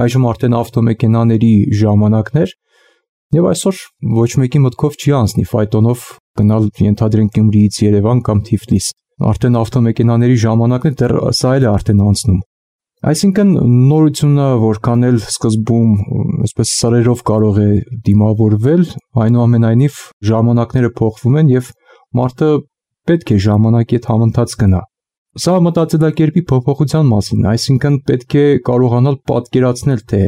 Speaker 2: այժմ արդեն ավտոմեքենաների ժամանակներ եւ այսօր ոչ մեկի մտքով չի անցնի ֆայտոնով գնալ ենթադրենք Գյումրիից Երևան կամ Թիֆլիս, արդեն ավտոմեքենաների ժամանակն է, դեռ սա էլ է արդեն անցնում։ Այսինքն նորությունը որքան էլ սկզբում այսպես սարերով կարող է դիմավորվել, այնուամենայնիվ ժամանակները փոխվում են եւ մարդը պետք է ժամանակի հետ համընթաց գնա։ Սա մտածելակերպի փոփոխության մասին, այսինքն պետք է կարողանալ պատկերացնել, թե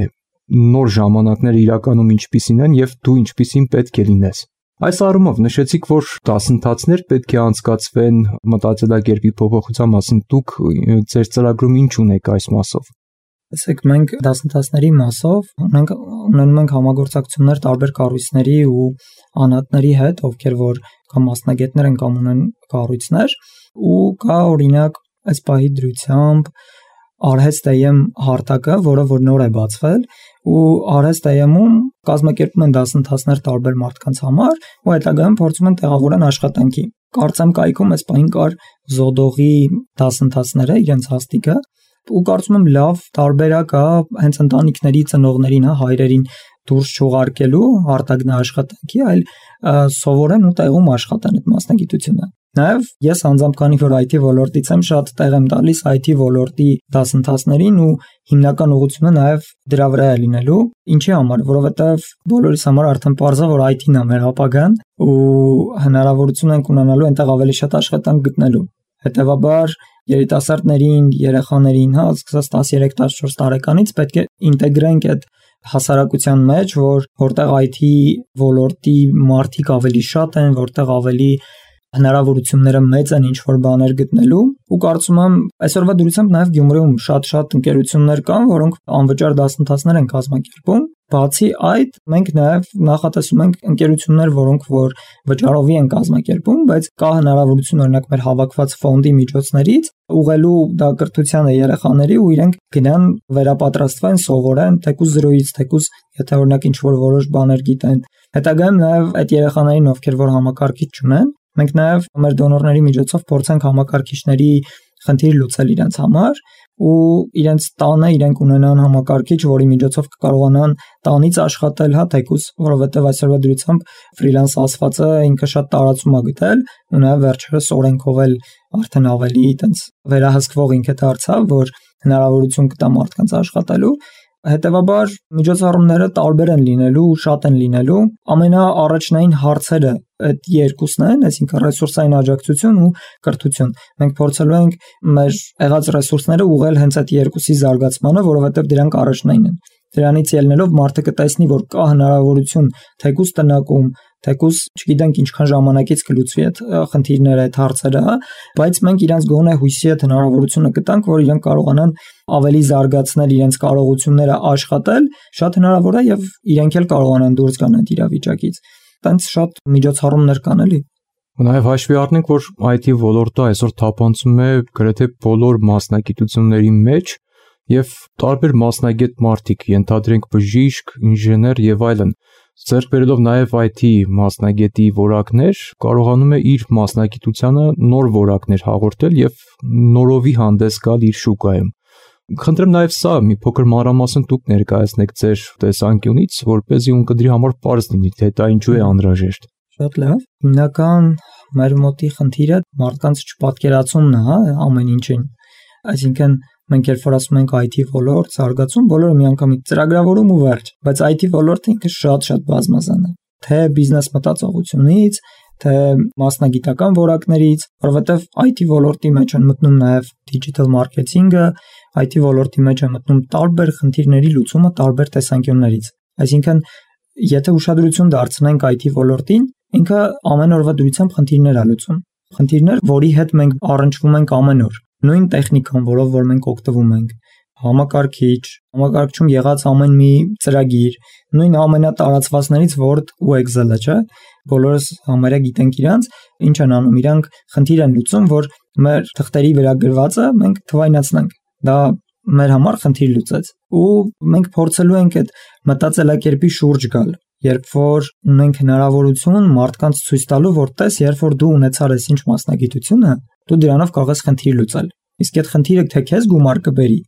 Speaker 2: նոր ժամանակները իրականում ինչպիսին են եւ դու ինչպիսին պետք է լինես։ Այս առումով նշեցիք, որ դասընթացներ պետք է անցկացվեն մտածելակերպի փոփոխության մասին, դուք ձեր ծրագրում ինչ ունեք այս մասով։
Speaker 3: Ասեք, մենք դասընթացների մասով ունենք ունենում ենք համագործակցություններ տարբեր կառույցների ու անհատների հետ, ովքեր որ կամ մասնագետներ են կամ ունեն կառույցներ, ու կա օրինակ այս պահի դրությամբ Արհեստ-Էյեմ հարթակը, որը որ նոր է բացվել, ու Արհեստ-Էյեմում կազմակերպում են դասընթացներ տարբեր մարդկանց համար, ու հետագայում փորձում են տեղավորեն աշխատանքի։ Կարծեմ կայքում այս պահին կար Զոդողի դասընթացները, իրենց հաստիկը, ու կարծում եմ լավ տարբերակ է հենց ընտանիքների ծնողներին, հա, հայրերին դուրս չուղարկելու արտագնա աշխատանքի, այլ սովորեն ու տեղում աշխատեն այդ մասնագիտությունը։ Նաև ես անձամբ քանի որ այ թի ոլորտից եմ, շատ տեղ եմ տալիս այ թի ոլորտի դասընթացներին ու հիմնական ուղղությունը նաև դրա վրա է լինելու։ Ինչի համար, որովհետև բոլորիս համար արդեն պարզ է, որ այ թին է մեր ապագան ու հնարավորություն ենք ունենալու այնտեղ ավելի շատ աշխատանք գտնելու։ Հետևաբար երիտասարդներին, երեխաներին, հա, սկսած տասներեք տասնչորս տարեկանից պետք է ինտեգրենք այդ հասարակության մեջ, որ որտեղ այ թի ոլորտի մարդիկ ավելի շատ են, որտեղ ավելի հնարավորությունները մեծ են ինչ-որ բաներ գտնելու, ու կարծում եմ այսօրվա դրությամբ նաև Գյումրիում շատ-շատ ընկերություններ կան, որոնք անվճար դասընթացներ են կազմակերպում։ Բացի այդ, մենք նաև նախատեսում ենք ընկերություններ, որոնք որ վճարովի են կազմակերպում, բայց կա հնարավորություն օրինակ մեր հավաքված ֆոնդի միջոցներից ուղղելու դա կրթությանը երեխաների ու իրենք գնան վերապատրաստվեն, սովորեն, թեկուզ զրոյից, թեկուզ եթե օրինակ ինչ-որ որոշ բաներ գիտեն։ Հետագայում նաև այդ երեխաներին, ովքեր որ համակարգիչ չունեն, մենք նաև մեր դոնորների միջոցով փորձենք համակարգիչների խնդիր լուծել իրենց համար ու իրենց տանը իրենք ունենան համակարգիչ, որի միջոցով կկարողանան տանից աշխատել, հա, թեկուզ, որովհետև այսօրվա դրությամբ ֆրիլանս ասվածը ինքը շատ տարածում է գտել ու նաև վերջերս օրենքով էլ արդեն ավելի այտենց վերահսկվող ինքը դարձավ, որ հնարավորություն կտա մարդկանց աշխատելու։ Հետևաբար միջոցառումները տարբեր են լինելու, շատ են լինելու։ Ամենաառաջնային հարցերը այդ երկուսն են, այսինքն ռեսուրսային աջակցություն ու կրթություն։ Մենք փորձելու ենք մեր եղած ռեսուրսները ուղղել հենց այդ երկուսի զարգացմանը, որովհետև դրանք առաջնային են։ Դրանից ելնելով մարդը կտեսնի, որ կա հնարավորություն թեկուզ տնակում, Թեկուզ չգիտենք ինչքան ժամանակից կլուծվի այդ խնդիրները, այդ հարցերը, բայց մենք իրանց գոնե հույսի հետ հնարավորությունը կտանք, որ իրանք կարողանան ավելի զարգացնել իրենց կարողությունները աշխատել, շատ հնարավոր է եւ իրենք էլ կարողանան դուրս գան այդ իրավիճակից։ Տենց շատ միջոցառումներ կան էլի։
Speaker 2: Նաև հաշվի առնենք, որ այ թի ոլորտը այսօր թափանցում է գրեթե բոլոր մասնագիտությունների մեջ եւ տարբեր մասնագետ մարդիկ, ենթադրենք բժիշկ, ինժեներ եւ այլն, ձեռք բերելով նաև այ թի մասնագետի որակներ, կարողանում է իր մասնագիտությանը նոր որակներ հաղորդել եւ նորովի հանդես գալ իր շուկայում։ Խնդրեմ նաև սա մի փոքր մանրամասն դուք ներկայացնեք ձեր տեսանկյունից, որպեսզի ունկնդրի համար պարզ լինի, թե դա ինչու է անհրաժեշտ։
Speaker 3: Շատ լավ։ Հիմնական մեր մոտի խնդիրը մարդկանց չպատկերացումն է, հա, ամեն ինչին։ Այսինքն մենք երբ որ ասում ենք այ թի ոլորտ, զարգացում, բոլորը միանգամից ծրագրավորում ու վերջ, բայց այ թի ոլորտը ինքը շատ-շատ բազմազան է։ Թե բիզնես մտածողությունից, թե մասնագիտական որակներից, որովհետև այ թի ոլորտի մեջ են մտնում նաև digital marketing-ը, այ թի ոլորտի մեջ է մտնում տարբեր խնդիրների լուծումը տարբեր տեսանկյուններից։ Այսինքն, եթե ուշադրություն դարձնենք այ թի ոլորտին, ինքը ամեն օրվա դրությամբ խնդիրներ է լուծում։ Խնդիրներ, որի հետ մենք առնչվում ենք ամեն օր։ Նույն տեխնիկան, որով որ մենք օգտվում ենք, համակարգիչ, համակարգչում եղած ամեն մի ծրագիր, նույն ամենատարածվածներից Word ու Excel-ը, չէ՞։ Բոլորս համարյա գիտենք իրանց, ինչ են անում, իրանք խնդիր են լուծում, որ մեր թղթերի վրա գրվածը մենք թվայնացնենք։ Դա մեր համար խնդիր լուծեց։ Ու մենք փորձելու ենք այդ մտածելակերպի շուրջ գալ, երբ որ ունենք հնարավորություն մարդկանց ցույց տալու, որ տես, երբ որ դու ունեցար ես ինչ մասնագիտությունը, դու դրանով կարող ես խնդիր լուծել։ Իսկ այդ խնդիրը թե քեզ գումար կբերի,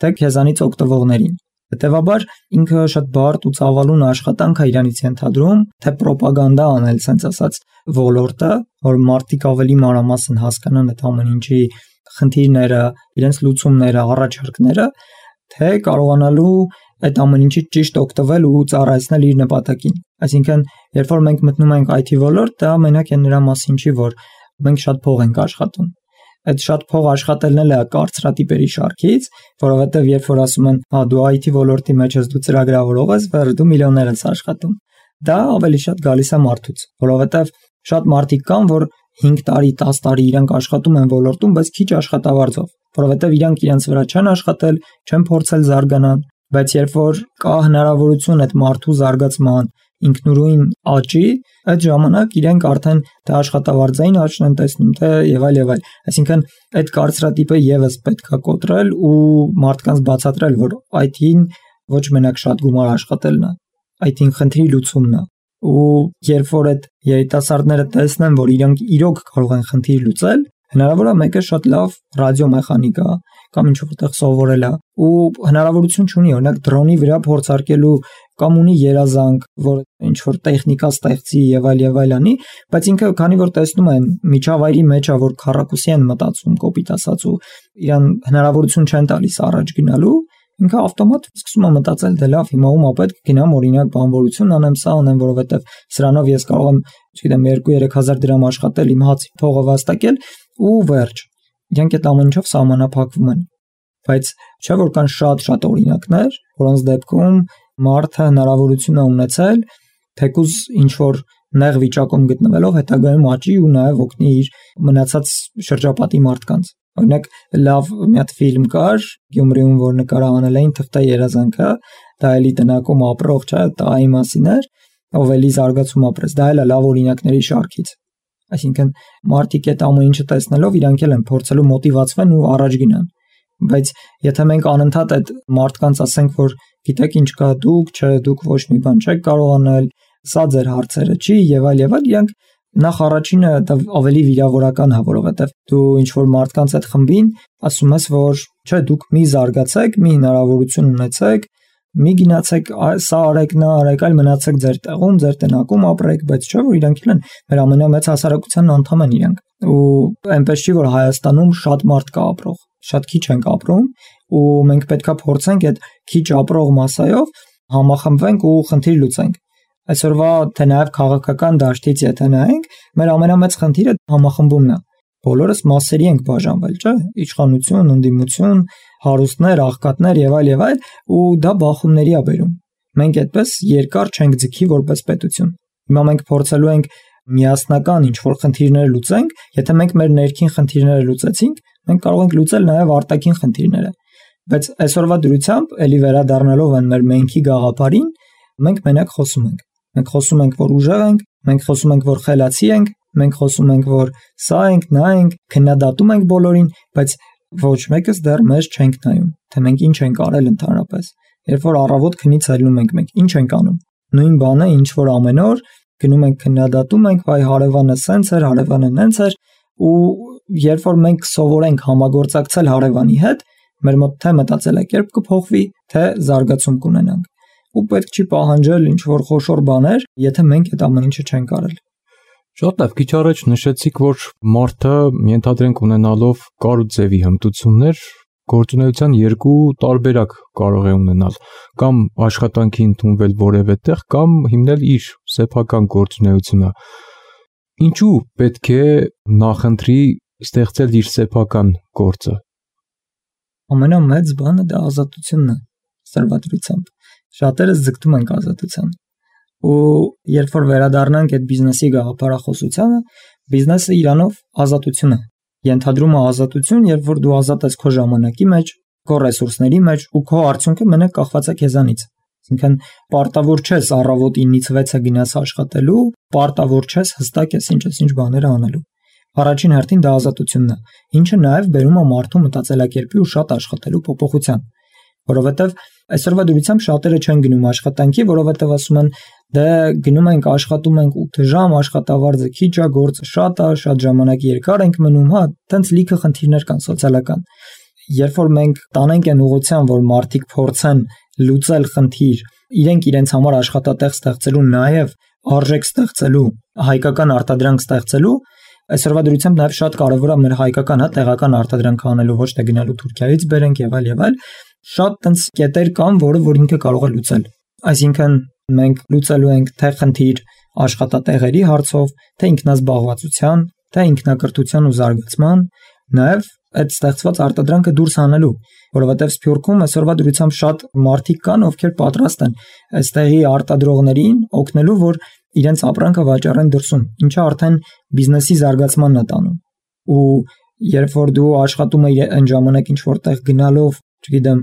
Speaker 3: թե քեզանից օգտվողներին։ Հետևաբար ինքը շատ բարդ ու ծավալուն աշխատանք է իրանից ենթադրում, թե ռոպագանդա անել, ասենց ասած, ոլորտը, որ մարդիկ ավելի մանրամասն հասկանան այդ ամեն ինչի խնդիրները, իրենց լուծումները, առաջարկները, թե կարողանալու այդ ամեն ինչից ճիշտ օգտվել ու ծառայեցնել իր նպատակին։ Այսինքն, երբ որ մենք մտնում ենք այ թի ոլորտ, դա մենակ է նրա մասին չի, որ մենք շատ փող ենք աշխատում։ Այդ շատ փող աշխատելն էլ է կարծրատիպերի շարքից, որովհետև երբ որ ասում են, հա դու այ թի ոլորտի մեջ ես, դու ծրագրավորող ես, վեր դու միլիոններ ես աշխատում։ Դա ավելի շատ գալիս է մարդուց, որովհետև շատ մարդիկ կան, որ հինգ տարի, տաս տարի իրանք աշխատում են ոլորտում, բայց քիչ աշխատավարձով, որովհետև իրանք իրենց վրա չեն աշխատել, չեն փորձել զարգանալ, բայց երբ որ կա հնարավորություն այդ մարդու զարգացման, ինքնուրույն աճի, այդ ժամանակ իրենք արդեն թե աշխատավարձային աճն են տեսնում, թե եւ այլ եւ այլ։ Այսինքն այդ կարծրատիպը եւս պետք է կոտրել ու մարդկանց բացատրել, որ այ թին ոչ մենակ շատ գումար աշխատելն է, այ թին խնդրի լուծումն է։ Ու երբ որ այդ երիտասարդները տեսնեն, որ իրենք իրոք կարող են խնդիր լուծել, հնարավոր է մեկը շատ լավ ռադիոմեխանիկա կամ ինչ որտեղ սովորել է ու հնարավորություն չունի, օրինակ դրոնի վրա փորձարկելու կամ ունի երազանք, որ ինչ որ տեխնիկա ստեղծի եւ այլ եւ այլ անի, բայց ինքը քանի որ տեսնում են միջավայրի մեջ է, որ քառակուսի են մտածում, կոպիտ ասած ու իրան հնարավորություն չեն տալիս առաջ գնալու, ինքը ավտոմատ սկսում է մտածել, դե լավ, հիմա ում է պետք գնամ օրինակ բանվորություն անեմ, սա անեմ, որովհետեւ սրանով ես կարող եմ, չգիտեմ, երկու-երեք հազար դրամ աշխատել, իմ հացի փողը վաստակել ու վերջ։ Իրանք այդ ամեն ինչով սահմանափակվում են։ Բայց չէ՞ որ կան շատ-շատ օրինակներ, որոնց դեպքում մարդը հնարավորություն է ունեցել թեկուզ ինչ որ նեղ վիճակում գտնվելով հետագայում աճի ու նաև օգնի իր մնացած շրջապատի մարդկանց։ Օրինակ լավ մի հատ ֆիլմ կար Գյումրիում, որ նկարահանել էին թղթա երազանքը, դա էլի տնակում ապրող, չէ՞, տայի մասին էր, ով էլի զարգացում ապրեց։ Դա էլ է լավ օրինակների շարքից։ Այսինքն մարդիկ այդ ամեն ինչը տեսնելով իրանք էլ են փորձելու մոտիվացվեն ու առաջ գնան։ Բայց եթե մենք անընդհատ այդ մարդկանց ասենք, որ գիտեք ինչ կա, դուք, չէ, դուք ոչ մի բան չեք կարող անել, սա ձեր հարցերը չի եւ այլ եւ այլ, իրանք նախ առաջինը դա ավելի վիրավորական է, որովհետեւ դու ինչ որ մարդկանց այդ խմբին ասում ես, որ չէ, դուք մի զարգացեք, մի հնարավորություն ունեցեք, մի գնացեք, սա արեք, նա արեք, այլ մնացեք ձեր տեղում, ձեր տնակում ապրեք, բայց չէ որ իրանք են մեր ամենամեծ հասարակության անդամ են իրանք։ Ու այնպես չի, որ Հայաստանում շատ մարդ կա ապրող, շատ քիչ ենք ապրում ու մենք պետքա փորձենք այդ քիչ ապրող մասայով համախմբվենք ու խնդիր լուծենք։ Այսօրվա թե նաև քաղաքական դաշտից եթե նայենք, մեր ամենամեծ խնդիրը համախմբումն է։ Բոլորս մասերի ենք բաժանվել, չէ՞, իշխանություն, ընդդիմություն, հարուստներ, աղքատներ եւ այլ եւ այլ, ու դա բախումների է բերում։ Մենք այդպես երկար չենք ձգի որպես պետություն։ Հիմա մենք փորձելու ենք միասնական ինչ-որ խնդիրներ լուծենք, եթե մենք մեր ներքին խնդիրները լուծեցինք, մենք կարող ենք լուծել նաև արտաքին խնդիրները։ Բայց այսօրվա դրությամբ էլի վերադառնալով այն մեր մենքի գաղափարին, մենք մենակ խոսում ենք։ Մենք խոսում ենք, որ ուժեղ ենք, մենք խոսում ենք, որ խելացի ենք, մենք խոսում ենք, որ սա ենք, նա ենք, քննադատում ենք բոլորին, բայց ոչ մեկս դեռ մեզ չենք նայում, թե մենք ինչ ենք արել ընդհանրապես։ Երբ որ առավոտ քնից ելնում ենք, մենք ինչ ենք անում։ Նույն բանը, ինչ որ ամեն օր գնում ենք քննադատում ենք, վայ հարևանը սենց էր, հարևանը նենց էր, ու երբ որ մենք սովորենք համագործակցել հարևանի հետ, մեր մոտ թե մտածելակերպ կփոխվի, թե զարգացում կունենանք։ Ու պետք չի պահանջել ինչ որ խոշոր բաներ, եթե մենք այդ ամեն ինչը չենք արել։
Speaker 2: Շատ լավ, քիչ առաջ նշեցիք, որ մարդը ենթադրենք ունենալով կար ու ձևի հմտություններ գործունեության երկու տարբերակ կարող է ունենալ, կամ աշխատանքի ընդունվել որևէ տեղ, կամ հիմնել իր սեփական գործունեությունը։ Ինչու պետք է նախընտրի ստեղծել իր սեփական գործը։
Speaker 3: Ամենամեծ բանը դա ազատությունն է, սրվադրությամբ։ Շատերս ձգտում ենք ազատության։ Ու երբ որ վերադառնանք այդ բիզնեսի գաղափարախոսությանը, բիզնեսը իրանով ազատություն է։ Ենթադրում է ազատություն, երբ որ դու ազատ ես քո ժամանակի մեջ, քո ռեսուրսների մեջ ու քո արդյունքը մենակ կախված է քեզանից։ Այսինքն պարտավոր չես առավոտ ինից վեցը գնաս աշխատելու, պարտավոր չես հստակ ես ինչ-ինչ բաներ անելու։ Առաջին հերթին դա ազատությունն է, ինչը նաև բերում է մարդու մտածելակերպի ու շատ աշխատելու փոփոխության, որովհետև այսօրվա դրությամբ շատերը չեն գնում աշխատանքի, որովհետև ասում են դե գնում ենք աշխատում ենք ութ ժամ, աշխատավարձը քիչ է, գործը շատ է, շատ ժամանակ երկար ենք մնում, հա, տենց լիքը խնդիրներ կան սոցիալական։ Երբ որ մենք տանենք այն ուղղությամբ, որ մարդիկ փորձեն լուծել խնդիր, իրենք իրենց համար աշխատատեղ ստեղծելու, նաև արժեք ստեղծելու, հայկական արտադրանք ստեղծելու, այսօրվա դրությամբ նաև շատ կարևոր է մեր հայկական, հա, տեղական արտադրանք անելու, ոչ թե գնալու Թուրքիայից բերենք եւ այլ եւ այլ, շատ տենց կետեր կան, որը որ ինքը կարող է լուծել։ Այսինքն մենք լուծելու ենք թե խնդիր աշխատատեղերի հարցով, թե ինքնազբաղվածության, թե ինքնակրթության ու զարգացման, նաև այդ ստեղծված արտադրանքը դուրս հանելու, որովհետև Սփյուռքում այսօրվա դրությամբ շատ մարդիկ կան, ովքեր պատրաստ են այստեղի արտադրողներին օգնելու, որ իրենց ապրանքը վաճառեն դրսում, ինչը արդեն բիզնեսի զարգացմանն է տանում։ Ու երբ որ դու աշխատում ես այն ժամանակ ինչ որտեղ գնալով, չգիտեմ,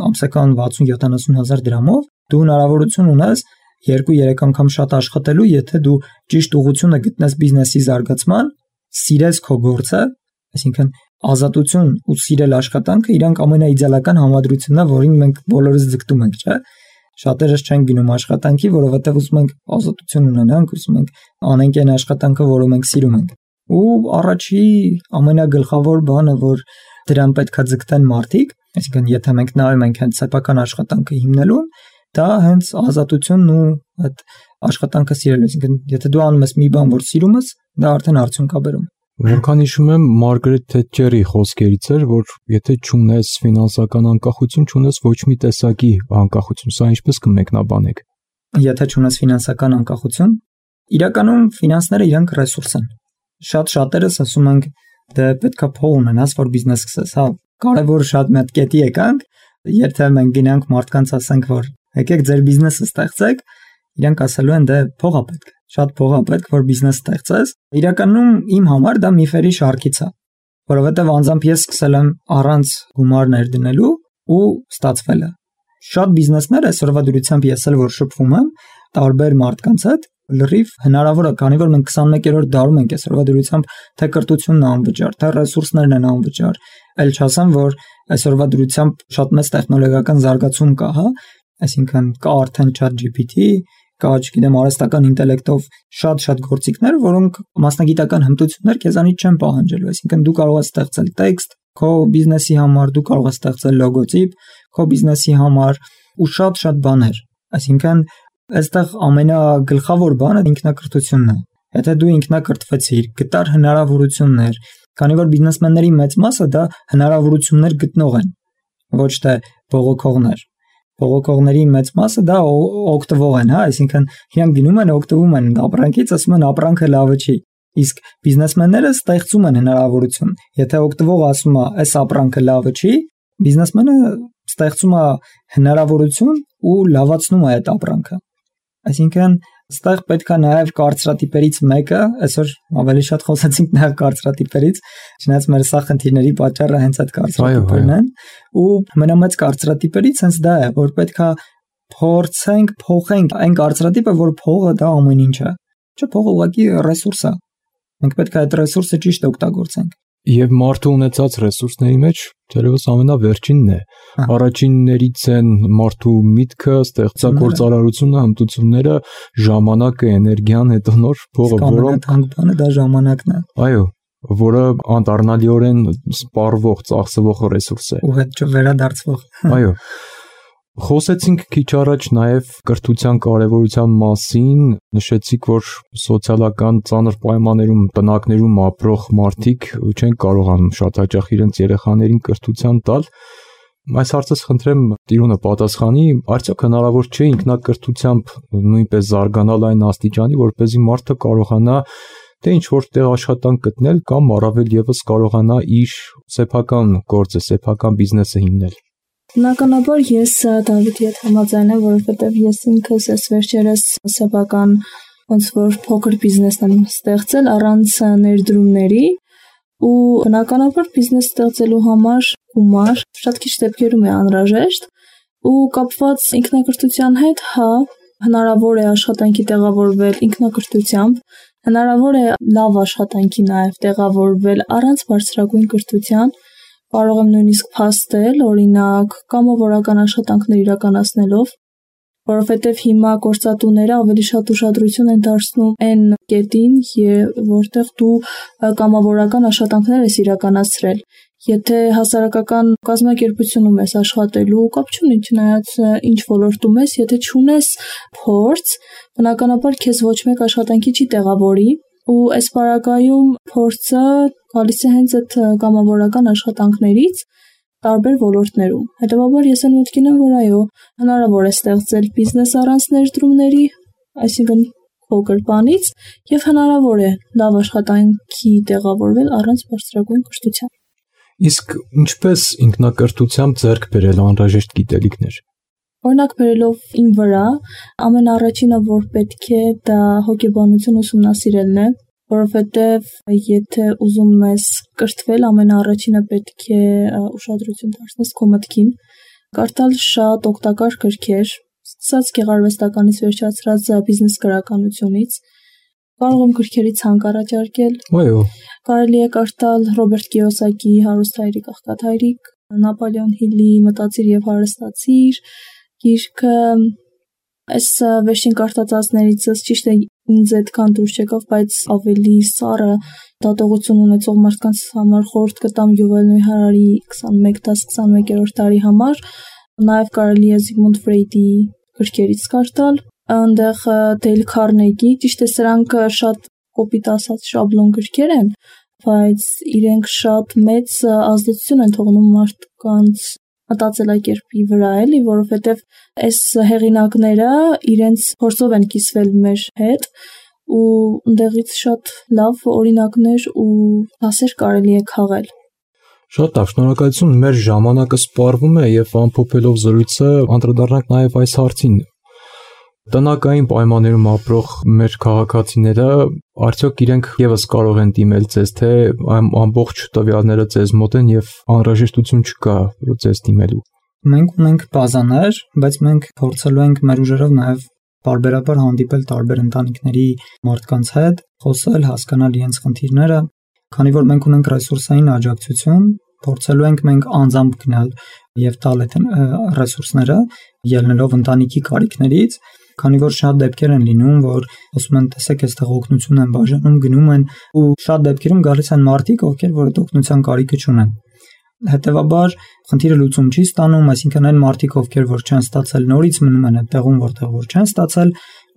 Speaker 3: ամսական վաթսուն յոթանասուն հազար դրամով, դու հնարավորություն ունես երկու-երեք անգամ շատ աշխատելու, եթե դու ճիշտ ուղղությունը գտնես բիզնեսի զարգացման, սիրես քո գործը, այսինքն ազատություն ու սիրել աշխատանքը իրանք ամենաիդեալական համադրությունն է, որին մենք բոլորս ձգտում ենք, չէ՞։ Շատերս չեն գնում աշխատանքի, որովհետև ուզում ենք ազատություն ունենանք, ուզում ենք անենք այն աշխատանքը, որը մենք սիրում ենք։ Ու առաջի ամենագլխավոր բանը, որ դրան պետքա ձգտեն մարդիկ, այսինքն եթե մենք նայում ենք հենց սեփական աշխատանքը հիմնելուն, դա հենց ազատությունն ու այդ աշխատանքը սիրելը, այսինքն եթե դու անում ես մի բան, որ սիրում ես, դա արդեն արդյունք է բերում։
Speaker 2: Որքան հիշում եմ, Մարգարետ Թետչերի խոսքերից էր, որ եթե չունես ֆինանսական անկախություն, չունես ոչ մի տեսակի անկախություն, սա ինչպես կմեկնաբանեք։
Speaker 3: Եթե չունես ֆինանսական անկախություն, իրականում ֆինանսները իրանք ռեսուրս են։ Շատ շատերս ասում ենք, դե պետքա փող ունենաս, որ բիզնես սկսես, հա, կարևոր շատ մեծ կետի եկանք, եթե մենք գնանք մարդկանց ասենք, որ եկեք ձեր բիզնեսը ստեղծեք, իրանք ասելու են դե փող է պետք, շատ փող է պետք, որ բիզնես ստեղծես։ Իրականում իմ համար դա միֆերի շարքից է, որովհետև անձամբ ես սկսել եմ առանց գումարներ դնելու ու ստացվել է։ Շատ բիզնեսներ այսօրվա դրությամբ ես էլ որ շփվում եմ տարբեր մարդկանց հետ, լրիվ հնարավոր է, քանի որ մենք քսանմեկերորդ դարում ենք այսօրվա դրությամբ, թե կրթությունն է անվճար, թե ռեսուրսներն են անվճար, այլ չասեմ, որ այսօրվա դրությամբ շատ մեծ տեխնոլոգիական զարգացում կա, հա, այսինքն կա արդեն ChatGPT, կա, չգիտեմ, արհեստական ինտելեկտով շատ-շատ գործիքներ, որոնք մասնագիտական հմտություններ քեզանից չեն պահանջելու, այսինքն դու կարող ես ստեղծել տեքստ քո բիզնեսի համար, դու կարող ես ստեղծել լոգոտիպ քո բիզնեսի համար ու շատ-շատ բաներ, այսինքն այստեղ ամենագլխավոր բանը ինքնակրթությունն է։ Եթե դու ինքնակրթվեցիր, գտար հնարավորություններ, քանի որ բիզնեսմենների մեծ մասը դա հնարավորություններ գտնող են, ոչ թե բողոքողներ։ Բողոքողների մեծ մասը դա օգտվող են, հա, այսինքն իրանք գնում են օգտվում են ապրանքից, ասում են ապրանքը լավը չի։ Իսկ բիզնեսմենները ստեղծում են հնարավորություն։ Եթե օգտվողը ասում է, այս ապրանքը լավը չի, բիզնեսմենը ստեղծում է հնարավորություն ու լավացնում է այդ ապրանքը։ Այսինքն Այստեղ պետք է նաև կարծրատիպերից մեկը, այսօր ավելի շատ խոսեցինք նաև կարծրատիպերից, չնայած մեր սա խնդիրների պատճառը հենց այդ կարծրատիպերն են, ու ամենամեծ կարծրատիպերից հենց դա է, որ պետք է փորձենք փոխենք այն կարծրատիպը, որ փողը դա ամեն ինչ է։ Չէ, փողը ուղղակի ռեսուրս է։ Մենք պետք է այդ ռեսուրսը ճիշտ օգտագործենք։
Speaker 2: Եվ մարդու ունեցած ռեսուրսների մեջ դերևս ամենավերջինն է։ Առաջիններից են մարդու միտքը, ստեղծագործարարությունը, հմտությունները, ժամանակը, էներգիան, հետո նոր փողը,
Speaker 3: որոնք բանը դա ժամանակն է։
Speaker 2: Այո, որը անդառնալիորեն սպառվող, ծախսվող ռեսուրս է։
Speaker 3: Ու հետ չվերադարձվող։
Speaker 2: Այո։ Խոսեցինք քիչ առաջ նաև կրթության կարևորության մասին, նշեցիք, որ սոցիալական ծանր պայմաններում, տնակներում ապրող մարդիկ չեն կարողանում շատ հաճախ իրենց երեխաներին կրթության տալ։ Այս հարցս խնդրեմ տիրունը պատասխանի, արդյոք հնարավոր չէ ինքնակրթությամբ նույնպես զարգանալ այն աստիճանի, որպեսզի մարդը կարողանա թե ինչ-որ տեղ աշխատանք գտնել կամ առավել եւս կարողանա իր սեփական գործը, սեփական բիզնեսը հիմնել։
Speaker 4: Բնականաբար ես Դավիթի հետ համաձայն եմ, որովհետև ես ինքս այս վերջերս սեփական ոնց որ փոքր բիզնեսն եմ ստեղծել առանց ներդրումների ու բնականաբար բիզնես ստեղծելու համար գումար շատ քիչ դեպքերում է անհրաժեշտ ու կապված ինքնակրթության հետ, հա, հնարավոր է աշխատանքի տեղավորվել ինքնակրթությամբ, հնարավոր է լավ աշխատանքի նաև տեղավորվել առանց բարձրագույն կրթության, կարող եմ նույնիսկ փաստել, օրինակ, կամավորական աշխատանքներ իրականացնելով, որովհետև հիմա գործատուները ավելի շատ ուշադրություն են դարձնում այն կետին, որտեղ դու կամավորական աշխատանքներ ես իրականացրել։ Եթե հասարակական կազմակերպությունում ես աշխատելու, կապ չունի, չնայած ինչ ոլորտում ես, եթե չունես փորձ, բնականաբար քեզ ոչ մեկ աշխատանքի չի տեղավորի, ու այս պարագայում փորձը գալիս է հենց այդ կամավորական աշխատանքներից տարբեր ոլորտներում։ Հետևաբար ես այն մտքին եմ, որ այո, հնարավոր է ստեղծել բիզնես առանց ներդրումների, այսինքն փոքր բանից, եւ հնարավոր է լավ աշխատանքի տեղավորվել առանց բարձրագույն կրթության։
Speaker 2: Իսկ ինչպես ինքնակրթությամբ ձեռք բերել անհրաժեշտ գիտելիքներ։
Speaker 4: Օրինակ բերելով իմ վրա, ամենաառաջինը, որ պետք է, դա հոգեբանություն ուսումնասիրելն է, որովհետև եթե ուզում ես կրթվել, ամենաառաջինը պետք է ուշադրություն դարձնես քո մտքին, կարդալ շատ օգտակար գրքեր, սկսած գեղարվեստականից վերջացրած բիզնես գրականությունից, կարող եմ գրքերի ցանկ առաջարկել։
Speaker 2: Այո։
Speaker 4: Կարելի է կարդալ Ռոբերտ Կիոսակի «Հարուստ հայրիկ, աղքատ հայրիկ», Նապոլեոն Հիլի «Մտածիր եւ հարստացիր» գիրքը, այս վերջին կարդացածներից ճիշտ է ինձ այդքան դուր չեկավ, բայց ավելի սառը դատողություն ունեցող մարդկանց համար խորհուրդ կտամ Յուվել Նոյ Հարարի քսանմեկ դաս քսանմեկերորդ տարի համար, նաև կարելի է Զիգմունդ Ֆրեյդի գրքերից կարդալ, այնտեղ Դեյլ Քարնեգի, ճիշտ է սրանք շատ կոպիտ ասած շաբլոն գրքեր են, բայց իրենք շատ մեծ ազդեցություն են թողնում մարդկանց մտածելակերպի վրա, էլի, որովհետև այս հեղինակները իրենց փորձով են կիսվել մեր հետ ու ընդեղից շատ լավ օրինակներ ու դասեր կարելի է քաղել։
Speaker 2: Շատ լավ, շնորհակալություն, մեր ժամանակը սպառվում է եւ ամփոփելով զրույցը անդրադառնանք նաեւ այս հարցին։ Տնական պայմաններում ապրող մեր քաղաքացիները արդյոք իրենք եւս կարող են դիմել ձեզ, թե ամբողջ տվյալները ձեզ մոտ են եւ անհրաժեշտություն չկա ձեզ դիմելու։
Speaker 3: Մենք ունենք բազաներ, բայց մենք փորձելու ենք մեր ուժերով նաեւ բարբերաբար հանդիպել տարբեր ընտանիքների մարդկանց հետ, խոսել, հասկանալ իրենց խնդիրները, քանի որ մենք ունենք ռեսուրսային աջակցություն, փորձելու ենք մենք անձամբ գնալ եւ տալ այդ ռեսուրսները, ելնելով ընտանիքի կարիքներից, քանի որ շատ դեպքեր են լինում, որ ասում են, տեսեք, այստեղ օգնություն են բաժանում, գնում են ու շատ դեպքերում գալիս են մարդիկ, ովքեր որ այդ օգնության կարիքը չունեն։ Հետևաբար խնդիրը լուծում չի ստանում, այսինքն այն մարդիկ, ովքեր որ չեն ստացել, նորից մնում են այդ տեղում, որտեղ որ չեն ստացել,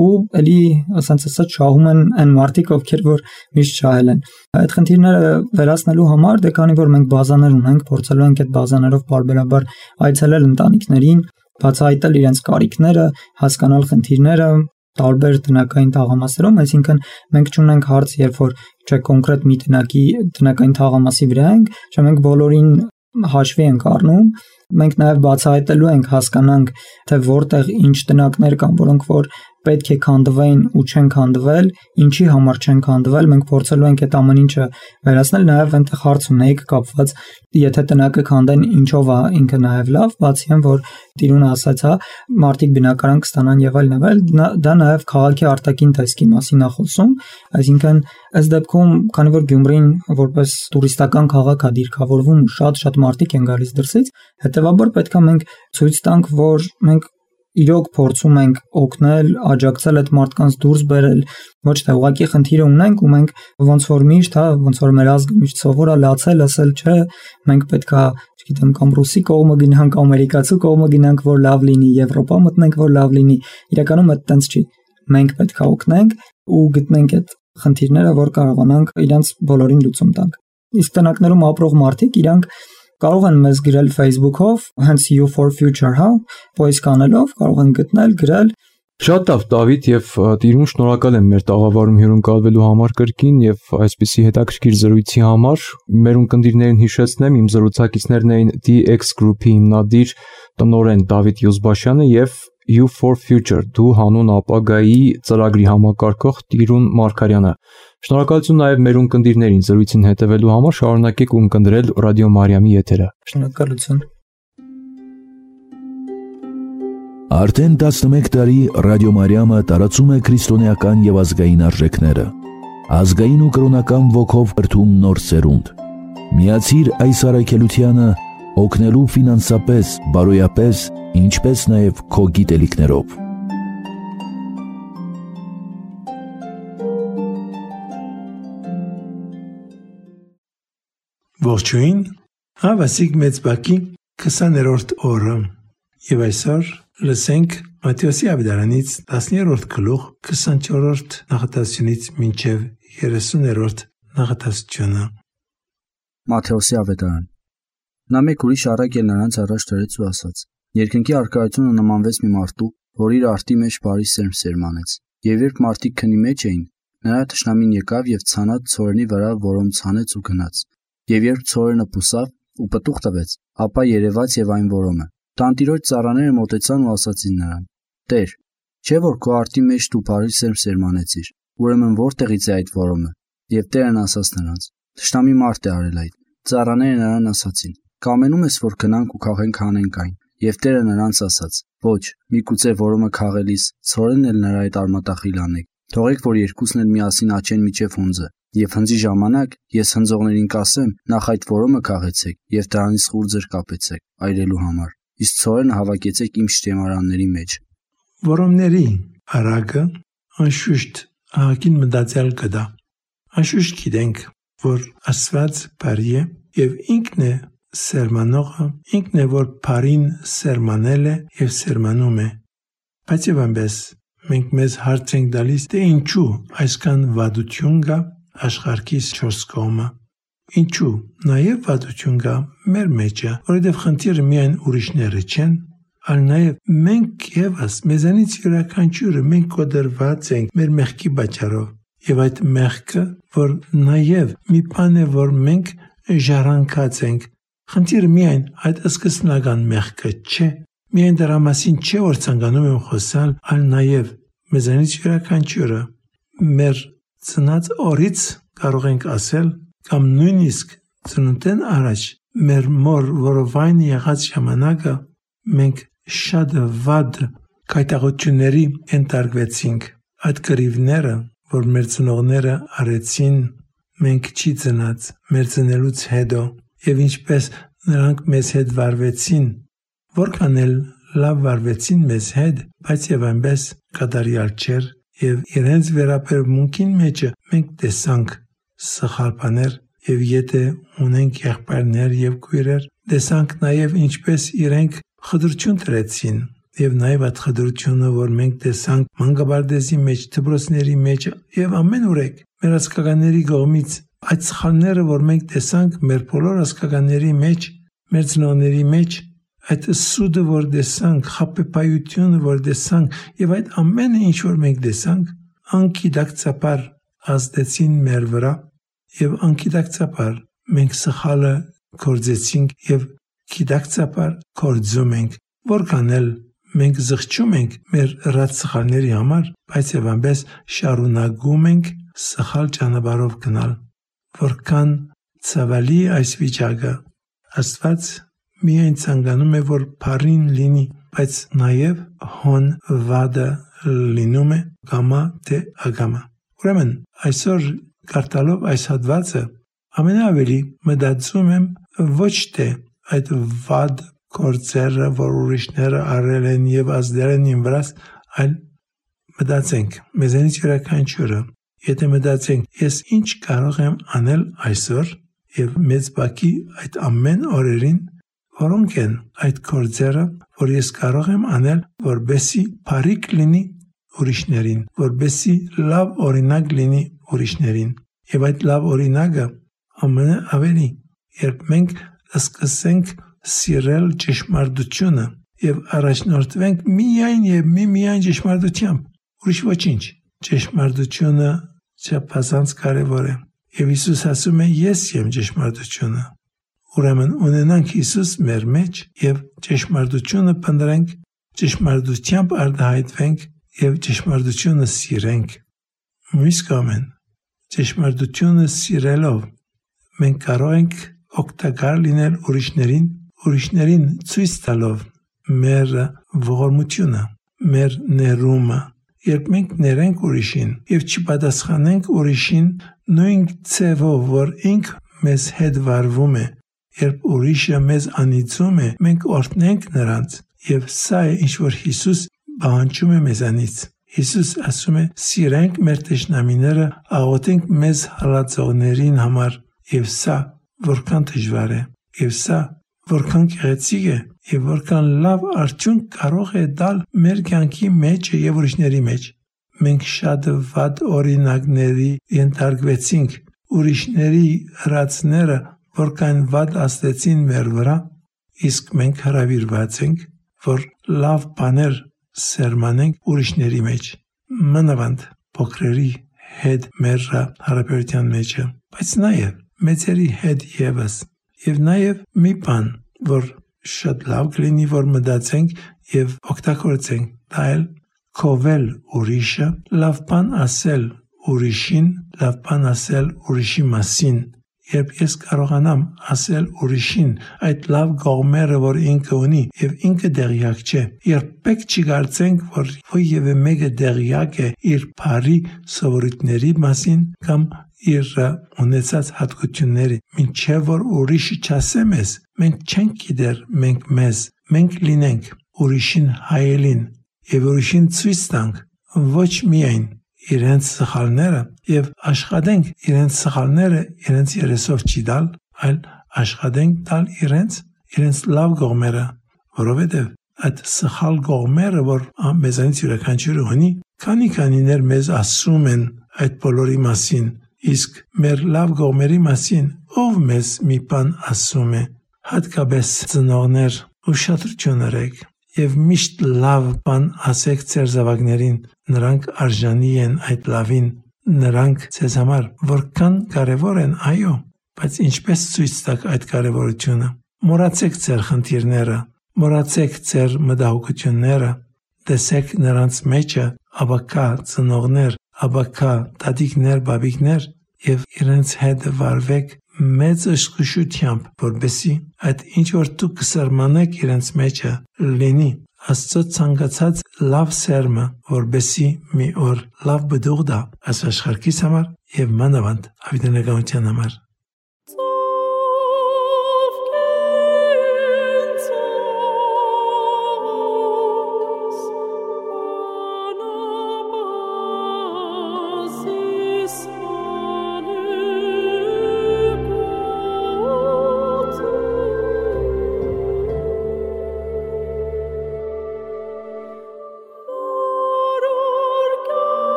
Speaker 3: ու էլի, ասած ասած, շահում են այն մարդիկ, ովքեր որ միշտ շահել են։ Այդ խնդիրները վերացնելու համար, դե քանի որ մենք բազաներ ունենք, փորձելու ենք այդ բազաներով բարբերաբար այցելել ընտանիքներին, բացահայտել իրենց կարիքները, հասկանալ խնդիրները տարբեր տնական թաղամասերում, այսինքն մենք չունենք հարց, երբ որ չէ կոնկրետ մի տնակի տնական թաղամասի վրա ենք, չէ մենք բոլորին հաշվի ենք առնում, մենք նաև բացահայտելու ենք, հասկանանք, թե որտեղ ինչ տնակներ կան, որոնք որ պետք է քանդվեն ու չեն քանդվել, ինչի համար չեն քանդվել, մենք փորձելու ենք այդ ամեն ինչը վերացնել, նաև այնտեղ հարց ունեիք կապված, եթե տնակը քանդեն, ինչով է ինքը նաև լավ, բացի այն, որ Տիրունը ասաց, հա, մարդիկ բնակարան կստանան եւ այլն եւ այլ, դա նաև քաղաքի արտաքին տեսքի մասին է խոսում, այսինքն այս դեպքում, քանի որ Գյումրին որպես տուրիստական քաղաք է դիրքավորվում ու շատ-շատ մարդիկ են գալիս դրսից, հետեւաբար պետք է մենք ցույց տանք, որ մենք իրոք փորձում ենք օգնել, աջակցել այդ մարդկանց դուրս բերել, ոչ թե ուղղակի խնդիրը ունենք ու մենք ոնց որ միշտ, հա, ոնց որ մեր ազգը միշտ սովոր է լացել, ասել, չէ, մենք պետք է, չգիտեմ, կամ ռուսի կողմը գնանք, ամերիկացու կողմը գնանք, որ լավ լինի, Եվրոպա մտնենք, որ լավ լինի։ Իրականում այդ տենց չի։ Մենք պետք է օգնենք ու գտնենք այդ խնդիրները, որ կարողանանք իրենց բոլորին լուծում տանք։ Իսկ տնակներում ապրող մարդիկ իրանք կարող են մեզ գրել Facebook-ով, հենց You for Future, հա, post անելով, կարող են գտնել, գրել։
Speaker 2: Շատ լավ, Դավիթ, եւ Տիրուն շնորհակալ եմ մեր տաղավարում հյուրընկալվելու համար կրկին եւ այսպիսի հետաքրքիր զրույցի համար։ Մեր ունկնդիրներին հիշեցնեմ, իմ զրուցակիցներն էին D X Group-ի հիմնադիր տնօրեն Դավիթ Յուզբաշյանը եւ You for Future դու հանուն ապագայի ծրագրի համակարգող Տիրուն Մարգարյանը։ Շնորհակալություն նաև մեր ունկնդիրներին զրույցին հետևելու համար, շարունակեք ունկնդրել Ռադիո Մարիամի եթերը։
Speaker 3: Շնորհակալություն։
Speaker 1: Արդեն տասնմեկ տարի Ռադիո Մարիամը տարածում է քրիստոնեական եւ ազգային արժեքները։ Ազգային ու կրոնական ոգով կրթում նոր սերունդ։ Միացիր այս առաքելությանը օգնելու ֆինանսապես, բարոյապես, ինչպես նաև քո գիտելիքներով։
Speaker 5: Ողջույն, հավասիկ մեծ բակի քսաներորդ օրը եւ այսօր լսենք Մատթեոսի ավետարանից տասներորդ գլուխ քսանչորրորդ նախատասությունից մինչեւ երեսուներորդ նախատասությունը։
Speaker 6: Մատթեոսի ավետարան։ Նա մեկ ուրիշ առակ էլ նրանց առաջ դրեց ու ասաց. Երկնքի առկայությունը նմանվեց մի մարդու, որ իր արտի մեջ բարի սերմ սերմանեց, եւ երբ մարդիկ քնի մեջ էին, նրա թշնամին եկավ եւ ցանած ցորենի վրա որոմ ցանեց ու գնաց։ Եվ երբ ցորենը պուսավ ու պտուղ տվեց, ապա երևաց եւ այն որոմը։ Տանտիրոջ ծառաները մոտեցան ու ասացին նրան. Տեր, չէ՞ որ քո արտի մեջ դու բարի սերմ սերմանեցիր, ուրեմն որտեղից է այդ որոմը։ Եվ Տերն ասաց նրանց. Թշնամի մարդ է արել այդ։ Ծառաները նրան ասացին. Կամենում ես, որ գնանք ու քաղենք հանենք այն։ Եվ Տերը նրանց ասաց. Ոչ, միգուցե որոմը քաղելիս, ցորենն էլ նրա այդ արմատախիլ անեք։ Թողեք, որ երկուսն էլ միասին աճեն միջև հունձը։ Եվ հնձի ժամանակ ես հնձողներին կասեմ, նախ այդ որոմը քաղեցեք եւ դրանից խուրձեր կապեցեք այրելու համար։ Իսկ ցորենը հավաքեցեք իմ շտեմարանների մեջ։
Speaker 5: Որոմների արագը անշուշտ ահագին մտածել կդա։ Անշուշտ գիտենք, որ Աստված բարի է եւ ինքն է սերմանողը, ինքն է որ բարին սերմանել է եւ սերմանում է։ Բայց եւ այնպես մենք մեզ հարց ենք տալիս, թե ինչու այսքան վատություն կա աշխարհիս չորս կողմը։ Ինչու նաեւ վատություն կա մեր մեջը, որովհետեւ խնդիրը միայն ուրիշները չեն, այլ նաեւ մենք եւս մեզանից յուրաքանչյուրը մենք կոդրված ենք մեր մեղքի պատճառով։ Եվ այդ մեղքը, որ նաեւ մի բան է, որ մենք ժառանգած ենք, խնդիրը միայն այդ սկզբնական մեղքը չէ, միայն դրա մասին չէ, որ ցանկանում եմ խոսալ, այլ նաեւ մեզանից յուրաքանչյուրը մեր ծնած օրից կարող ենք ասել, կամ նույնիսկ ծնունդեն առաջ մեր մոր որովայն եղած ժամանակը մենք շատ վատ կայտաղությունների ենթարկվեցինք։ Այդ կռիվները, որ մեր ծնողները արեցին, մենք չի ծնած մեր ծնելուց հետո, եւ ինչպես նրանք մեզ հետ վարվեցին, որքան էլ լավ վարվեցին մեզ հետ, բայց եւ այնպես կատարյալ չէր, եւ իրենց վերաբերմունքին մեջը մենք տեսանք սխալ բաներ, եւ եթե ունենք եղբայրներ եւ քույրեր, տեսանք նաեւ ինչպես իրենք խտրություն դրեցին, եւ նաեւ այդ խտրությունը, որ մենք տեսանք մանկաբարձի մեջ, դպրոցների մեջ եւ ամենուրեք մեր ազգականների կողմից, այդ սխալները, որ մենք տեսանք մեր բոլոր ազգականների մեջ, մեր ծնողների մեջ, այդ սուդը, որ տեսանք, խաբեբայությունը, որ տեսանք, եւ այդ ամենը, ինչ որ մենք տեսանք, անկիդակցաբար ազդեցին մեր վրա, եւ անկիդակցաբար մենք սխալը գործեցինք եւ գիտակցաբար գործում ենք, որքան էլ Մենք զղջում ենք մեր ռած սխալների համար, բայց եւ այնպես շարունակում ենք սխալ ճանապարհով գնալ։ Որքան ցավալի այս վիճակը, Աստված միայն ցանկանում է, որ բարին լինի, բայց նաեւ հոն վադը լինում է գամա թե ագամա։ Ուրեմն այսօր կարդալով այս հատվածը ամենաավելի մտածում եմ ոչ թե այդ վատ գործերը, որ ուրիշները արել են եւ ազդել են իմ վրա, այլ մտածենք մեզանից յուրաքանչյուրը, եթե մտածենք ես ինչ կարող եմ անել այսօր եւ մեծ բակի այդ ամեն օրերին, որոնք են այդ գործերը, որ ես կարող եմ անել, որբեսի բարիք լինի ուրիշներին, որբեսի լավ օրինակ լինի ուրիշներին։ Եվ այդ լավ օրինակը ամենաավելի, երբ մենք սկսենք սիրել ճշմարտությունը եւ առաջնորդվենք միայն եւ միմիայն ճշմարտությամբ, ուրիշ ոչինչ։ Ճշմարտությունը չափազանց կարեւոր է։ Եվ Հիսուս ասում է. ես եմ ճշմարտությունը։ Ուրեմն ունենանք Հիսուս մեր մեջ եւ ճշմարտությունը փնտրենք, ճշմարտությամբ արտահայտվենք եւ ճշմարտությունը սիրենք։ Մյուս կողմեն, ճշմարտությունը սիրելով մենք կարող ենք օգտակար լինել ուրիշներին, ուրիշներին ցույց տալով մեր ողորմությունը, մեր ներումը։ Երբ մենք ներենք ուրիշին եւ չպատասխանենք ուրիշին նույն ցևով, որ ինք մեզ հետ վարվում է, երբ ուրիշը մեզ անիծում է, մենք օրհնենք նրանց, եւ սա է ինչ որ Հիսուս պահանջում է մեզանից։ Հիսուս ասում է. սիրենք մեր տշնամիները, աղոթենք մեզ հալածողներին համար, եւ սա որքան դժվար է, եւ սա որքան գեղեցիկ է, եւ որքան լավ արդյունք կարող է տալ մեր կյանքի մեջ եւ ուրիշների մեջ։ Մենք շատ վատ օրինակների ենթարկվեցինք, ուրիշների հրացները որքան վատ աստեցին մեր վրա, իսկ մենք հրավիրված ենք, որ լավ բաներ սերմանենք ուրիշների մեջ։ Մանավանդ փոքրերի հետ մեր հարաբերության մեջը, բայց նաեւ մեծերի հետ եւս։ Եվ նաեւ մի բան, որ շատ լավ կլինի, որ մտածենք եւ օգտագործենք, դա էլ քովել ուրիշը, լավ բան ասել ուրիշին, լավ բան ասել ուրիշի մասին։ Երբ ես կարողանամ ասել ուրիշին այդ լավ կողմերը, որ ինքը ունի եւ ինքը դեղյակ չէ, երբեք չգարցենք, որ ովևէ մեկը դեղյակ է իր բարի սովորույթների մասին կամ իր ունեցած հատկությունների, մինչև որ ուրիշը չասե մեզ, մենք չենք գիտեր մենք մեզ, մենք լինենք ուրիշին հայելին եւ ուրիշին ցույց տանք ոչ միայն իրենց սխալները եւ աշխատենք իրենց սխալները իրենց երեսով չի դալ, այլ աշխատենք տալ իրենց իրենց լավ կողմերը, որովհետեւ այդ սխալ կողմերը, որ մեզանից յուրաքանչյուրը ունի, քանի քանիներ մեզ ասում են այդ բոլորի մասին, իսկ մեր լավ կողմերի մասին ով մեզ մի բան ասում է, հատկապես ծնողներ, ուշադրություն արեք եւ միշտ լավ բան ասեք ձեր զավակներին, նրանք արժանի են այդ լավին, նրանք ձեզ համար որքան կարեւոր են, այո, բայց ինչպես ցույց տաք այդ կարեւորությունը։ Մոռացեք ձեր խնդիրները, մոռացեք ձեր մտահոգությունները, տեսեք նրանց մեջը աբակա ծնողներ, աբակա տատիկներ, բաբիկներ եւ իրենց հետ վարվեք մեծ ըշկուշությամբ, որբեսի այդ ինչ որ դուք կսերմանեք իրենց մեջը լինի Աստծո ցանկացած լավ սերմը, որբեսի մի օր լավ բդուղ դա այս աշխարհիս համար եւ մանավանդ հավիտենականության համար։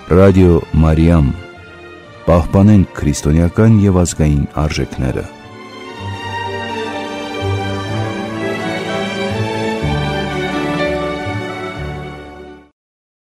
Speaker 1: Ռադիո Մարիամ։ Պահպանենք քրիստոնեական եւ ազգային արժեքները։